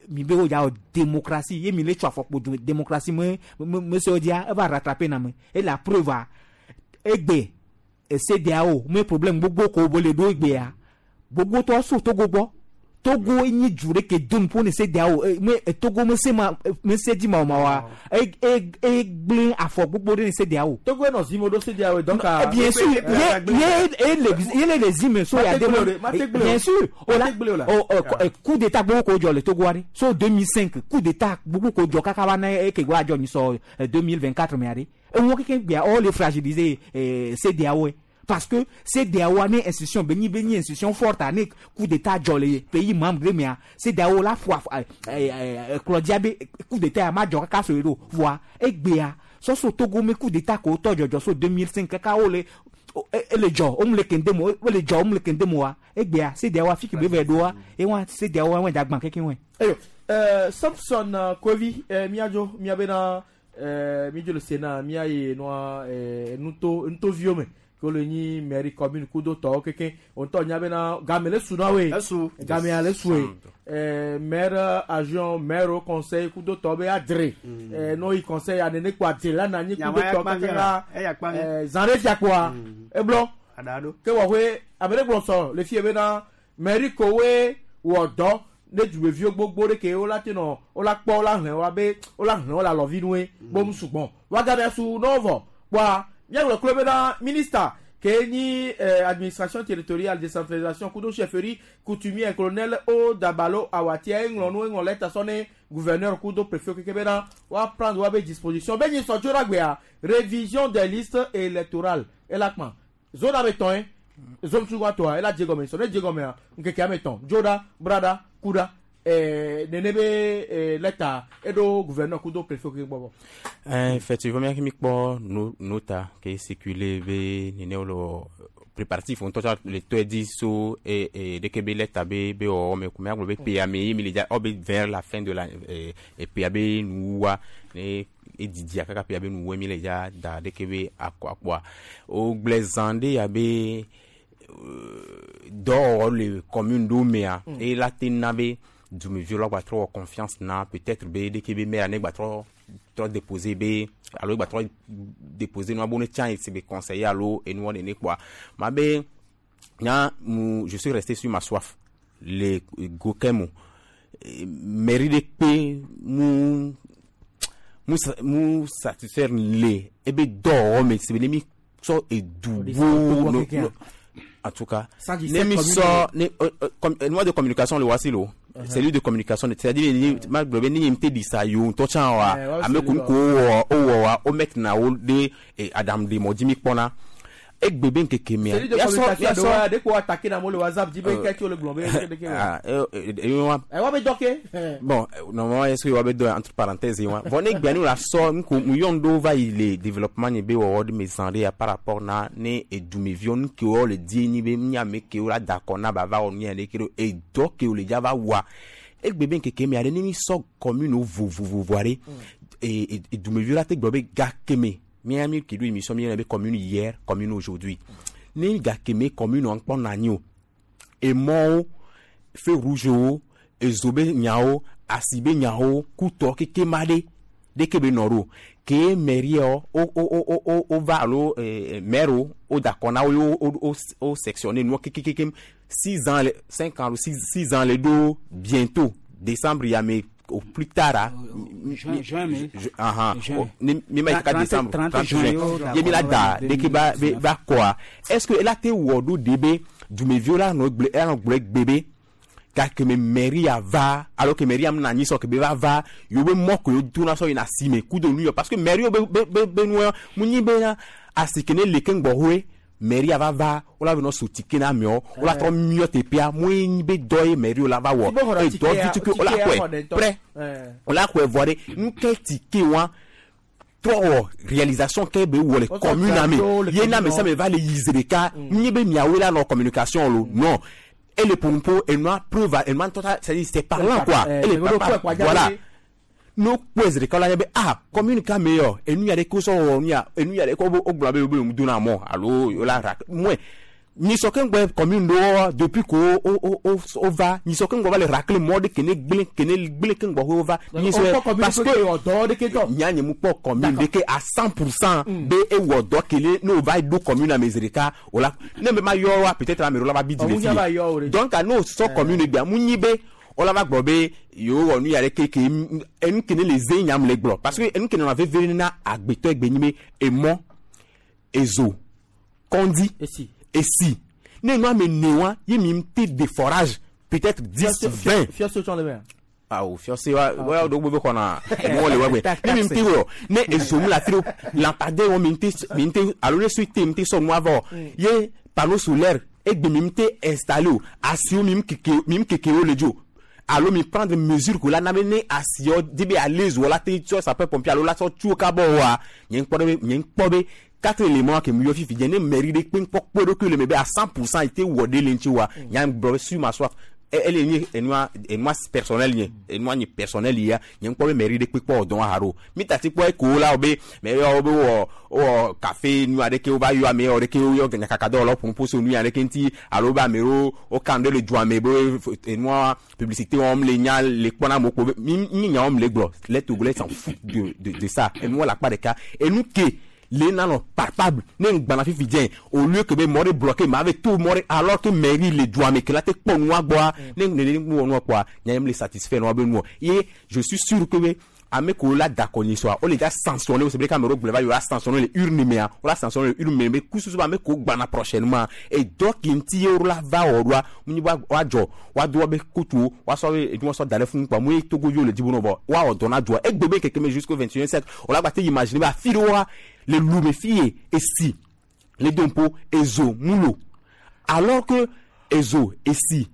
mi be wo dza wɔ démocratie ye mi le tso afɔkpo du démocratie me me me sewo dzia eva rattraper na me et la preuve a egbe CEDEAO me problème gbogbo ko bo le ɖo egbea gbogbo tɔ so Togo gbɔ. Togo enyi du ɖe ke do nuƒo ne CEDEAO me Togo me se ma me se dzi ma o ma wa e e e gblẽ afɔ gbogbo ɖe ne CEDEAO. Togo enɔ zime ɖo CEDEAO donc. Bien sûr ye ye e le ye le le zime so ya de bien sûr o la o coup d'état gbogbo ko dzɔ le Togo wa de so deux mille cinq coup d'état gbogbo ko dzɔ kaka va na eke gba dzɔ nyi sɔ deux mille vingt quatre mea de eŋuwo keke gbea o le fragiliser CEDEAO. Parce que CEDEAO ne institution benyi benyi institution forte ne coup d'état dzɔ le pays membre de mea CEDEAO la fo Claudia be coup d'état ma dzɔ kaka so yi ɖo voa egbea sɔsɔ Togo me coup d'état ko tɔ dzɔdzɔ so deux mille cinq kaka wo le ele dzɔ wo mu le kende mo wo le dzɔ wo mu le kende mo wa egbea CEDEAO afi ke be vɛ ɖoa ewa CEDEAO wa dza gbã keke wɔe. Eyo Samson Kovi miadzo miabena midzo le Sénat miayi nua nuto nutoviwo me. Ko le nyi mairie commune kudo tɔwo keke ŋutɔ nya bena game le su na woe game le su ye maire adjoint maire au conseil kudo tɔwo be adre n'o yi conseil anene kpo adre la na nyi kudo tɔwo keke la zan ɖe fia kpoa eblɔ ke wɔ hoe ame ɖe gblɔ sɔ le fie bena mairie kowoe wɔ dɔ ne dumeviwo gbogbo ɖe ke wo la te nɔ wo la kpɔ wo la hlẽ wa be wo la hlẽ wo la lɔvi nue bom sugbɔn wa game su n'o vɔ kpoa miagblɔ klo bena ministre ke nyi eh, administration territoriale décentralisation kudo chefferie coutumier colonel o dabalo awatia eŋlɔ nu eŋlɔ lɛta sɔ ne gouverneur kudo préfet keke bena wa prendre wa be disposition be nyi sɔ tso ɖe agbea révision des listes électorales ela kpã zone ame tɔn ye zone sugbɔ tɔa ela dze gɔme sɔ ne dze gɔmea ŋkeke ame tɔn dzoɖa braɖa kuɖa eh, nene be eh, lɛta eɖo gouverneur kudo préfet keke gbɔ bɔ. Effectivement, mi kpɔ nota ke circuler be nene wole préparatif ŋutɔ tsã le tɔe dzi so e e ɖeke be lɛta be be wɔwɔ me ko miagblɔ be ƒea me ye mi le dza ɔ be vers la fin de la e ƒea be nuwuwua ne edzidzia kaka ƒea be nuwuwue mi le dza da ɖeke be akɔ akpɔa wogblẽ zã ɖe ya be dɔwɔwɔ le commune ɖewo mea eye la te na be dumeviwo la gbatrɔ wɔ confiance na peut-être be ɖeke be maire ne gbatrɔ trɔ déposer be alo gbatrɔ déposer nua bo ne tsã si be conseiller alo enuɔ nene kpoa ma be nya mu je suis resté sur ma soif le go ke mo mairie ɖe kpe mu mu mu satisfaire le ebe dɔwɔwɔ me si be ne mi sɔ edu wo no no en tout cas ne mi sɔ ne euh, de communication le wasi lo cellule de communication c'est-à-dire ni ma gblɔ be ne nye ŋute ɖi sa yewo ŋutɔ tsã wa ame ko ŋko wowɔ wowɔ wa wo mettre wo ɖe aɖaŋu ɖe mɔ dzi mi kpɔna egbe be ŋkeke mea cellule de communication ɖewo ɖe ko attaquer na amewo le WhatsApp dzi be ke tso le gblɔ be ɖeke ah eh wa ɛ wa be dɔ ke bon normalement est-ce que wa be dɔ entre parenthèses wa vɔ ne gbea ne la sɔ ŋko mu yɔn ɖewo va yi le développement nye be wɔwɔ ɖe me zã ɖe ya par rapport na ne edumeviwo nu kewo le die nyi be mi ame kewo la da akɔ na ba va wɔ nu ya ɖe ke ɖo edɔ kewo le dza va wɔa egbe be ŋkeke mea ɖe ne mi sɔ commune vovovovo aɖe edumeviwo la te gblɔ be gake me mía mi ke ɖo émission mi yɔna be commune hier commune aujourd'hui ne gake me commune ŋkpɔ na anyi o emɔwo feu rouge wo ezo be nyawo asi be nyawo kutɔ keke ma ɖe ɖeke be nɔ ɖo ke mairie wo wo wo wo wo va alo maire wo wo da akɔ na wo ye wo wo wo sectionné nuwo kekekeke six ans le cinq ans six six ans le ɖo bientôt décembre ya me au plus tard ah juin juin mai ah ni mi ma yi kaka décembre trente juin ye mi la da ɖeke ba be ba kɔa est-ce que ela te wɔ ɖo de be dumeviwo la nɔ gblẽ ela nɔ gblẽ gbe be gake me mairie va alors que mairie am na anyi sɔ ke be va va yewo be mɔ ko yewo dona sɔ yina asime kudo nu yɔ parce que mairie be be be be nua mu nyi be na asi ke ne le ke ŋgbɔ hoe mairie va va wola be nɔ so tike na amewo wola trɔ miɔ teƒea mu nyi be dɔ ye mairie la va wɔ eye dɔ vi tuku wola xɔe prɛ wola xɔe vɔ ɖe nu ke tike wa trɔ wɔ réalisation ke be wɔ le commune ame ye na ame sia ame va le yi zi ɖeka mu nyi be miawoe la nɔ communication lo non et le pompo et noa preuve et noa tota c'est c'est parlant quoi et le papa voilà no kpɔe ɖeka la nye be ah commune ka me yɔ enu ya ɖe ko sɔ wɔ nu ya enu ya ɖe ko wo gblɔ be wo be dona mɔ alo la ra moins nyisɔ ke ŋgbɛ commune ɖewo depuis ko wo wo wo wo va nyisɔ ke ŋgbɔ va le racle mɔ ɖe kene gblẽ kene gblẽ ke ŋgbɔ wo va nyisɔ parce que nya nye mu kpɔ commune ɖe ke à cent pour cent be ewɔ dɔ kele ne o va ɖo commune ame zi ɖeka o la ne me ma yɔ wa peut-être ame ɖewo la va bi di le fi donc n'o sɔ commune gbea mu nyi be wola va gblɔ be yewo wɔ nu ya ɖe keke enu kene le ze nyam le gblɔ parce que enu kene nɔ veve na agbetɔ egbe nyi be emɔ ezo kɔndi esi ne nu ame ne wa ye mi te de forage peut-être dix vingt fiɔse tsɔ le mea awo fiɔse wa wa ɖo gbogbo xɔna enuwo le wa gbe ne mi te wɔ ne ezo mu la fi lampadaire wo mi te mi te alo ne sui te mi te sɔ nua vɔ ye panneau solaire egbe mi te installé o asiwo mi keke mi keke wo le dzo alo mi prendre mesure ko la na be ne asiɔ di be alaise wɔ la te tsɔ sapeur pompier alo la tsɔ tso kabɔ wa nye ŋkpɔ be nye ŋkpɔ be quatre éléments ke mi yɔ fifi dze ne mairie ɖe kpe ŋkpɔ kpe ɖokui le me be à cent pour cent ete wɔ ɖe le ŋuti wa nya gblɔ be sur ma soif ele nye enua enua personnel nye enua nye personnel ya nye ŋkpɔ be mairie ɖe kpe kpɔ dɔn ha ɖo mi tati kpɔ eko la wo be mɛ yɔ wo be wɔ wɔ café nu aɖe ke wo va yɔ ame yɔ ɖe ke wo yɔ nyakaka dɔwɔlawo ƒom ƒo so nu ya ɖe ke ŋuti alo be ame ɖewo wo kan ɖe le dua me be enua publicité wɔm le nya le kpɔna amewo kpo be mi mi nya wɔm le gblɔ les Togolais s'en foutent de de de ça enua le akpa ɖeka enu ke le nanɔ palpable ne ŋgbana fifi dze au lieu que be mɔ ɖe bloqué ma ave to mɔ ɖe alors que mairie le dua me ke la te kpɔ nua gbɔa ne nene nu wɔ nua kpɔa nya ye me le satisfait nua be nuɔ ye je suis sûr que be ame ko la dakɔ nyi sɔa o le dza sanctionné o c'est vrai qu'ame ɖewo gblɔ va yi o la sanctionné le urne mea o la sanctionné le urne me be kususu be ame ko gbana prochainement et dɔ ke ŋuti ye wo la va wɔ ɖoa mu nyi be woadzɔ woado wobe kotuwo woasɔ be enuwo sɔ da ɖe funu kpɔa mu ye togoviwo le dzi be nɔ vɔ woawɔ dɔ na dua egbe be keke me jusqu'au vingt et un siècle o la gba te imaginer be afi ɖewoa le lume fi ye esi le dompo ezo mulo alors que ezo esi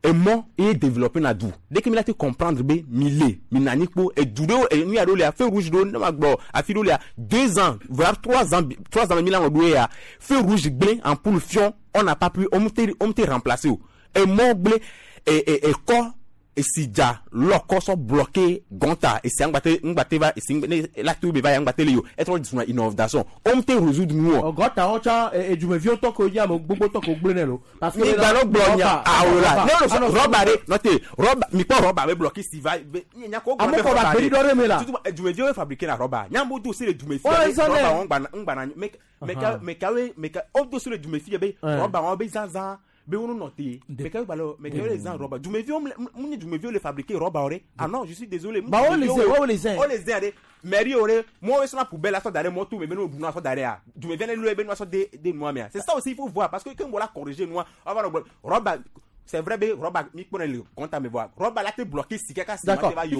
Emɔ eye développer na du dès que mi la te comprendre be mi le mi nani kpo edu ɖewo enu ya ɖewo lia feu rouge ɖewo ne ma gblɔ afi ɖewo lia deux ans voire trois ans trois ans mi la wɔ ɖo ya feu rouge gblẽ ampoule fiɔ on n'a pas pu on te on te remplacer o emɔ gblẽ e e ekɔ esi dza lɔkɔ sɔ bloqué gɔnta esi ŋgbate ŋgbate va esi ne la to be va ya ŋgbate le yo etrɔ suna inondation on te résoudre nu o. Gɔta wɔn tsã edumeviwo tɔ ko nye ame gbogbo tɔ ko gblẽ nɛ lo. Parce que mi gba gblɔ nya awo la ne o rɔba de nɔte rɔba mi kpɔ rɔba be bloqué si va be nya ko gblɔ be rɔba de dɔ de me la. Tutu edumeviwo be fabriqué la rɔba nyambo do se le dumefi rɔba wɔn gbana ŋgbana mɛ mɛ mɛ kawe mɛ ka o do se le dumefi be rɔba wɔn be zanzan. Be wonu noté mais quand balo mais quand les gens roba dumevi on dumevi le fabriquer roba ore ah non je suis désolé bah on les on les on les aide mairie ore moi sur la poubelle la sorte moi tout mais nous nous sorte derrière dumevi le be nous sorte de de moi mais c'est ça aussi il faut voir parce que quand on la corriger nous on va roba c'est vrai be roba mi pone le compte à me voir roba là te bloqué si quelqu'un si va yo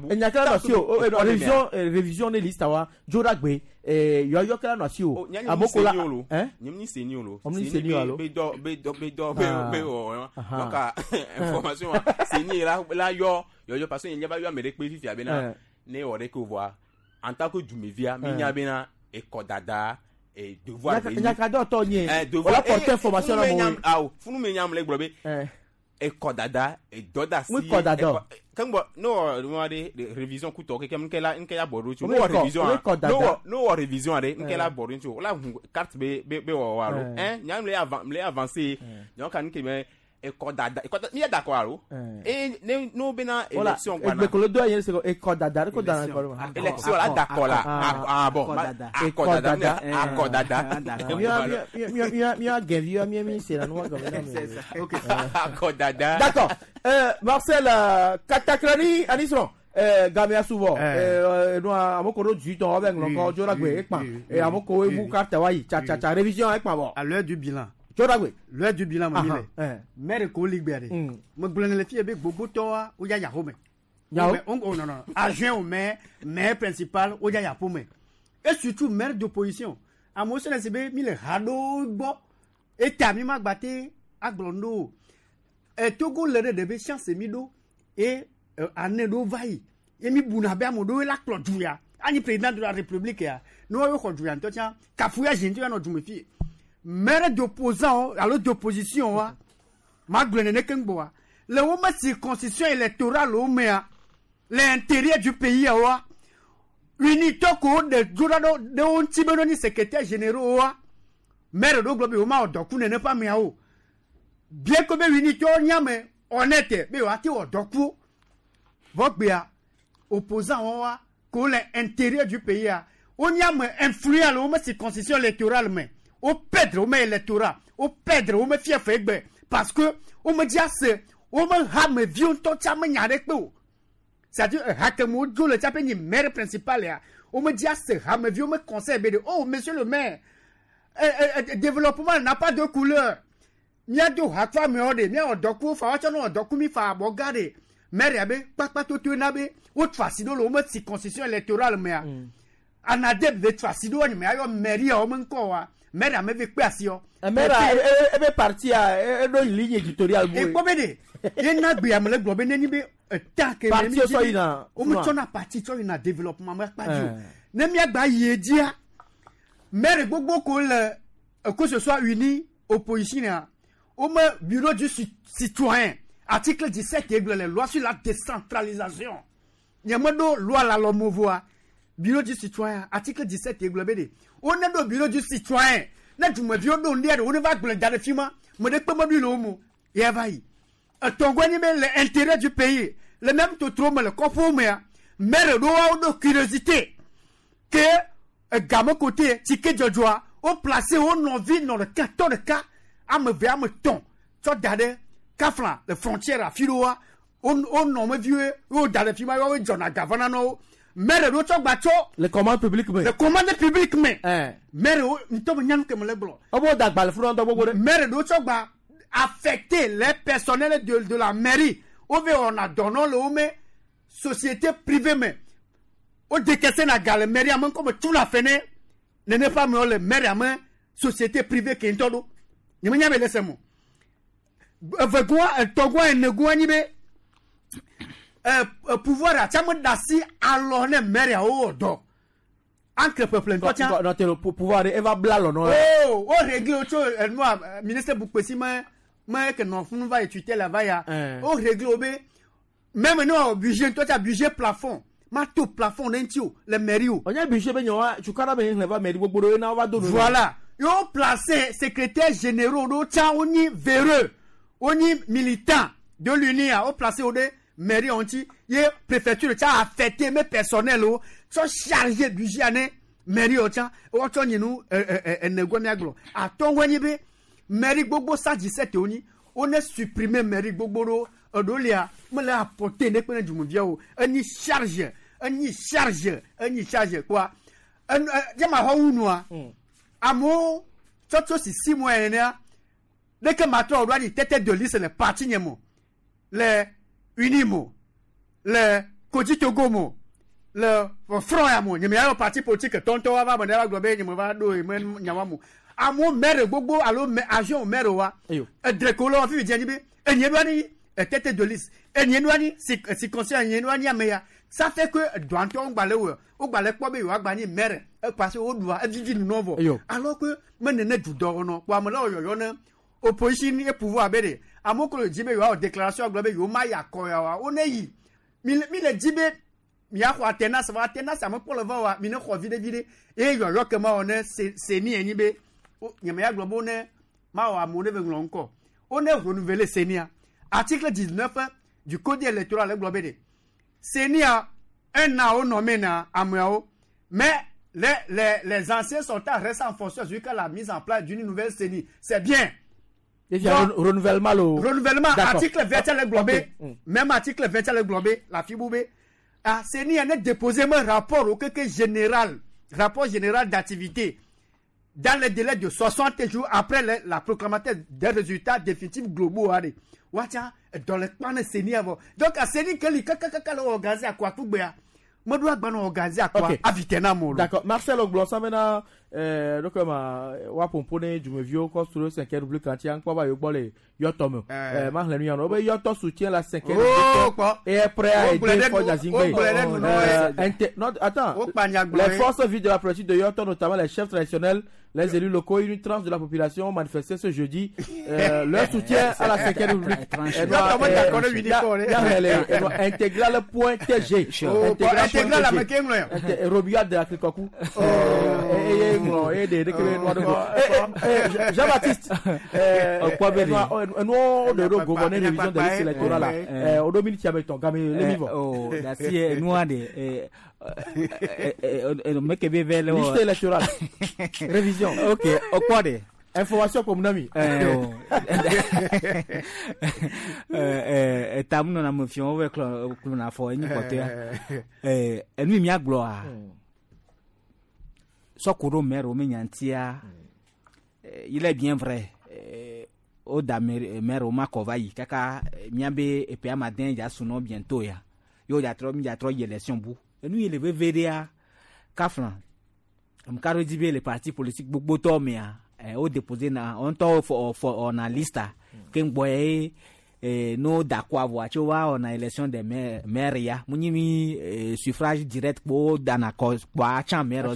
il n'y a qu'à révision révision de liste wa Jodagbe eh yo yo kala no asi o amoko la hein nyimni seni lo seni alo be do be do be do be o donc information seni la la yo yo yo parce que il y a pas eu amere pe fifi abena ne ore ko voir en tant que dumevia mi nya bena e kodada et devoir nyaka do to nye wala porter information la mo aw funu me nyam le gbobe e kodada e doda si oui kodada kan bo no no de révision kuto ke kem kela nke ya bodo tu no révision no no révision de nke la bodo tu la carte be be wo wa lo hein nyam le avant le avancer donc kan ke me e kodada e kodada mi d'accord alo e ne no be na élection quoi na ekolo do yen se e kodada ko dana ko élection la d'accord là ah bon akodada akodada mi mi mi mi gevi mi mi c'est la noix comme OK akodada d'accord euh Marcel Katakrani Anisron euh Gamia souvent euh no amoko do du ton avec l'encore Jodagbe ekpa et amoko ebu carte wa yi cha cha cha révision ekpa bon à l'heure du bilan Jodagbe l'heure du bilan mon mille maire ko ligbe de mo gblene le fie be gbogbo to wa o ya ya home on non non adjoint au maire maire principal o ya ya home et surtout maire d'opposition amo se le be mi le hado gbo eta mi ma gbate aglondo e Togo le de be chance mi do et année do vai et mi buna be amodo la klo duya ani président de la république ya no yo ko duya ntocha kafuya jintu ya no dume fie maire d'opposant alors d'opposition wa ma glene kengboa le woma circonscription électorale au maire l'intérieur du pays wa unité ko de jurado de on tibeno ni secrétaire généraux wa maire do globe woma odoku nene pa mi awo bien que be unité nyame honnête be wa ti odoku vogbia opposant wa ko l'intérieur du pays a on nyame influent le woma circonscription électorale mais au perdre au électorat au perdre au fief egbe parce que on me dit c'est on me ha me vion to cha me nya de pe o c'est-à-dire ha ke mo jo le cha pe ni maire principal ya on me dit c'est ha me vion me conseil be de oh monsieur le maire eh, eh, développement n'a pas de couleur mia do ha fa me o de mia odoku fa wa cha no odoku mi fa bo gade maire ya be papa to to na be o trasido lo me circonscription électorale me ya anadeb de trasido ni me ayo mairie o me nko wa maire a me pe asio maire e be parti a e do ligne éditoriale e ko be de ye na gbe amle gbo be neni be ta ke parti so ina o mu tona parti so ina développement ma pa ju ne mi agba ye dia maire gbogbo ko le que ce soit uni opposition na o me bureau du citoyen article dix-sept et les lois sur la décentralisation nye me do loi la lomovoa bureau du citoyen article dix-sept et be de on est au bureau du citoyen ne du me vieux do ndé on va gblé da de fima me de pe me du lo mu ye va yi tongo ni be l'intérêt du pays le même to trop me le kofo me maire do wa do curiosité que gamme côté ticket jojoa au placé au non ville dans le quatorze cas à me ver me ton to dade kafla le frontière à filoa on on non me vieux au dade fima yo jona gavana no maire do tso gba tso le commande publique mais le commande publique mais maire nto me nyanu ke me le gblɔ obo dagba le funu ndo gbogbo de maire do tso gba affecter les personnels de de la mairie o ve on a donné le me société privée mais o décaisser na gale mairie am comme tout la fene ne ne pas me le maire am société privée ke nto do ni me nya be lese mo Evegɔa etɔgɔa enegɔa nyi be ɛ pouvoir atsame da si alɔ ne maire yawo wɔ dɔ entre peuple ŋutɔ tsã. Nɔ te pouvoir de eva bla lɔ nɔ. Oo o réglé tso enua ministre Boukpessi me me ke nɔ funu va yi tutelle va ya o réglé o be même ne wɔ budget ŋutɔ tsa budget plafond ma to plafond ne ŋuti o le mairie o. O nye budget be nyɔ tukara be hlẽ va mairie gbogbo ɖo ena va do nu. Voilà yo placé secrétaire généraux ɖo tsã wonyi véreux wonyi militant de l'UNIA o placé wo ɖe mairie ŋuti ye préfecture tsa affecté me personnel o tsɔ chargé budget ne mairie o tsã wotsɔ nyinu enegɔ miagblɔ atɔngɔ nyi be mairie gbogbo cent dix-sept wonyi wone supprimer mairie gbogbo ɖo eɖo lia mele apporter ne kpe ne dumuviawo enyi charge enyi charge enyi charge kpoa enu jama xɔ wu nua amewo tsɔtso sisi mois enea leke matrɔ ɖo anyi tête de liste le parti nye mo le UNIMO le Kojitogo mo le front ya mo nye me ya parti politique tɔntɔ wa va me ne va gblɔ be nye me va ɖo ye me nyawa mo amewo maire gbogbo alo agent maire wa edreko le wa fifi dze anyi be enye ɖo anyi tête de liste enye ɖo anyi circonscription enye ɖo anyi ame ya ça fait que doantɔ ŋgba le wɔ wogba le kpɔ be yewoa gba nyi maire parce que woɖua evivi nunɔ vɔ alors que me nene dudɔ wɔnɔ kpo ame le wɔyɔyɔ ne opposition et pouvoir be de amewo ko le dzi be yewoawɔ déclaration agblɔ be yewo ma yi akɔ ya wa wo ne yi mi le mi le dzi be miaxɔ alternance va alternance ame kpɔ le va wa mi ne xɔ viɖe viɖe eye yɔyɔ ke ma wɔ ne CENI enyi be nye me ya gblɔ be wo ne ma wɔ amewo ne be ŋlɔ ŋkɔ wo ne renouveler CENI article dix-neuf du code électoral le gblɔ be de CENI un an wo nommé na ameawo mais les les les anciens sortants restent en fonction jusqu'à la mise en place d'une nouvelle CENI. C'est bien. Et puis, renouvellement le renouvellement article vingt le globé même article vingt le globé la fiboubé ah CENI a déposé un rapport au que général rapport général d'activité dans le délai de soixante jours après le, la proclamation des résultats définitifs globaux allez wacha dans le plan de CENI avant donc à CENI que li kaka le organiser à quoi tout bien me doit gba organiser à quoi avitena mo. D'accord Marcel Oglonsa maintenant euh donc ma wa pompone du construire cinquième République entière encore va yo le yoto euh ma hlenu yano be yoto soutient la cinquième République et est prêt à aider Faure Gnassingbé. Non attends, les forces vives de la politique de Yoto, notamment les chefs traditionnels, les élus locaux et une tranche de la population ont manifesté ce jeudi euh, leur soutien à la cinquième République. Intégral point T G. Intégral Robia de Akrikoku. Jean-Baptiste, nous de gouverner révision des listes électorales. Au domine qui avait ton gamin les vivants. Liste électorale. Révision. Ok, au quoi de information pour mon ami. Euh, tamu na me fion avec le na fo ni côté. Eh, enu mi aglo a. Sokoro maire o menyantia. Il est bien vrai. O da maire o makova yi kaka miabe e pe amadin ya suno bientôt ya. Yo ya tro mi ya tro élection bu. Enu il veut V D A kaflan. Mkaro dibe les partis politiques gbogbo to me a. O déposé na on to for for on a liste ke ngbo e no d'accord voix tu vois on a élection des maires maire ya munimi suffrage direct po dana ko kwa chan maire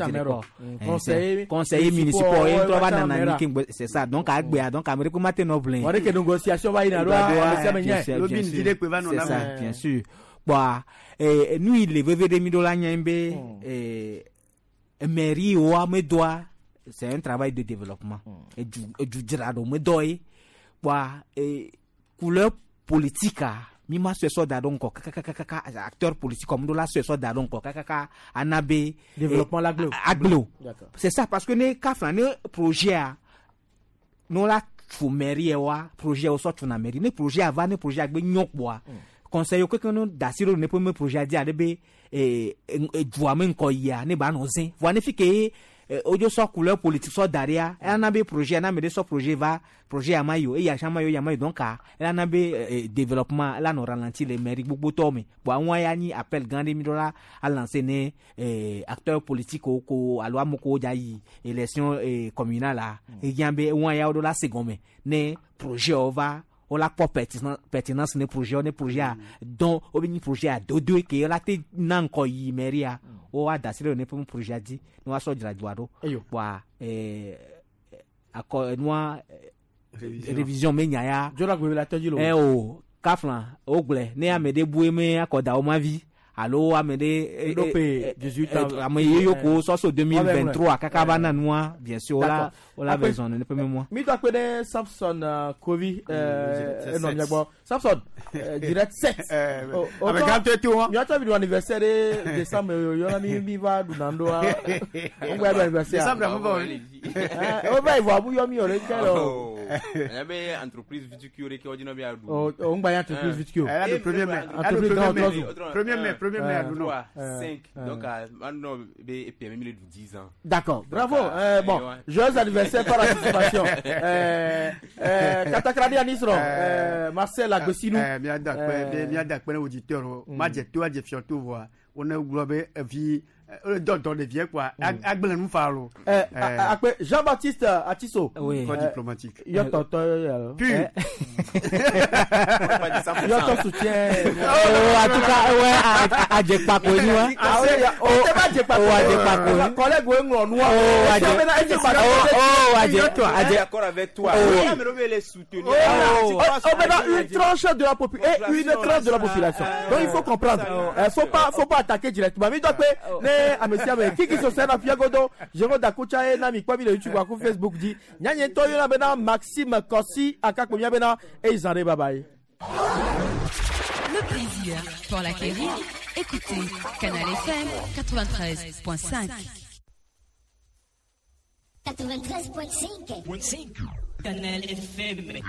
conseiller conseiller municipal et trois na na c'est ça donc agbe donc Amérique matin no blin on que négociation va ina c'est ça bien sûr bah et nous il les V V D mi dola nyembe et mairie o amedoa c'est un travail de développement. Et du du dirado me doy bah couleur politique mi ma se so da donc kaka acteur politique comme la se so da donc kaka anabe développement l'aglo aglo c'est ça parce que ne ka ne projet a non la fo mairie wa projet au sort na mairie ne projet avant ne projet agbe nyokboa conseil que que dasiro ne peut me projet di adebe et dua me nkoya ne ba no zin voa ne fike ojo so couleur politique so daria elle n'a projet n'a mais so projet va projet amayo et ya chamayo ya mayo donc elle n'a développement elle a ralenti les mairies gbogbo to me bo awon ya ni appel grande mi dollar a lancer né acteur politique ko alo amoko ja yi élection communale là et yambe won ya do la seconde ne projet va On la kpɔ pertinence pertinence ne projet ne projet a donc o be nyi projet a dodo ke la te na ŋkɔ yi mairie a o wa da si ɖe ne ƒe projet a dzi ne wa sɔ dzra dua ɖo kpoa ɛɛ akɔ nua révision me nya ya Jora gbe la tɔdzi lo. ɛ o kafla o gblẽ ne ame ɖe bu eme akɔ da wo ma vi alo ame ɖe Ɖo pe dix-huit ans. ame ye ko sɔsɔ deux mille vingt-trois kaka va na nua bien sûr o la D'accord. o la Après- besoin ne ƒe mémoire. Mi do akpe ɖe Samson uh, Kovi Mm, enɔ mia gbɔ. Samson euh, direct sept. Ame gã tɔ to wa. Miatɔ mi ɖu anniversaire ɖe décembre yɔna mi mi va ɖu na ɖoa. O gba ɖu anniversaire. Décembre, mo va o. Eh, O va yi vɔ abu yɔ mi o le kɛ lɔ. Ɛnɛ entreprise viticule ɖe ke wodzi na be aɖu. O o ŋgba nye entreprise viticule. Elle a le premier mai. Elle a le Entreprise premier grand mai. Otrɔzu. Premier mai, premier mai, aɖu nɔ. Trois, Euh, cinq. euh. Donc, maintenant, be P M mi le ɖu dix ans. D'accord, bravo. Donc, Euh, bon, eh, ouais. joyeux anniversaire par anticipation. euh, euh, Katakrani Anisro, euh, Marcel Agbesinou. Eh, miada akpe be miada akpe ne auditeur o. Ma dze to adze fiɔ to vɔa. Wo ne gblɔ be evi eh, dɔ dɔ ɖevie kpoa agblẽ nu fa lo. Euh, a- akpe Jean-Baptiste Atiso. Oui. Corps diplomatique. Yɔ tɔtɔ yɔ. Pur. Yɔ tɔ soutien. Oh, en tout cas, ouais, Adjekpako ni wa. Ah oui, oh, c'est pas Adjekpako. Oh, Adjekpako. Collègue, ouais, ŋlɔ nua. Oh, Adje. Oh, oh, Adje. Adje. D'accord avec toi. Oh. Oui, mais on les soutenir. Oh, oh, oh, maintenant, une tranche de la population, une tranche de la population. Donc il faut comprendre. Euh, faut pas, faut pas attaquer directement. Mais donc, ne amesia me kiki so sena fiagodo, Jérôme Dakucha e na mi kwa mi le YouTube aku Facebook di. Nyanye to yo na bena Maxime Kossi akako mi bena e izare bye bye. Le plaisir pour l'acquérir, écoutez Canal F M quatre-vingt-treize point cinq. quatre-vingt-treize point cinq. Canal F M.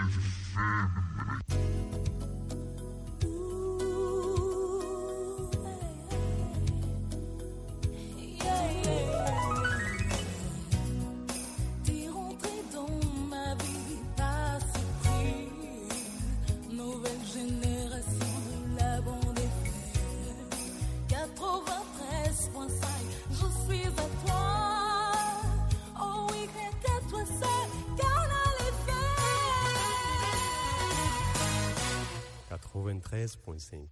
T'es rentré dans ma vie par surprise. Nouvelle génération de la bande F M. quatre-vingt-treize point cinq, je suis à toi. Oh oui, rien qu'à toi seul, Canal F M. quatre-vingt-treize point cinq.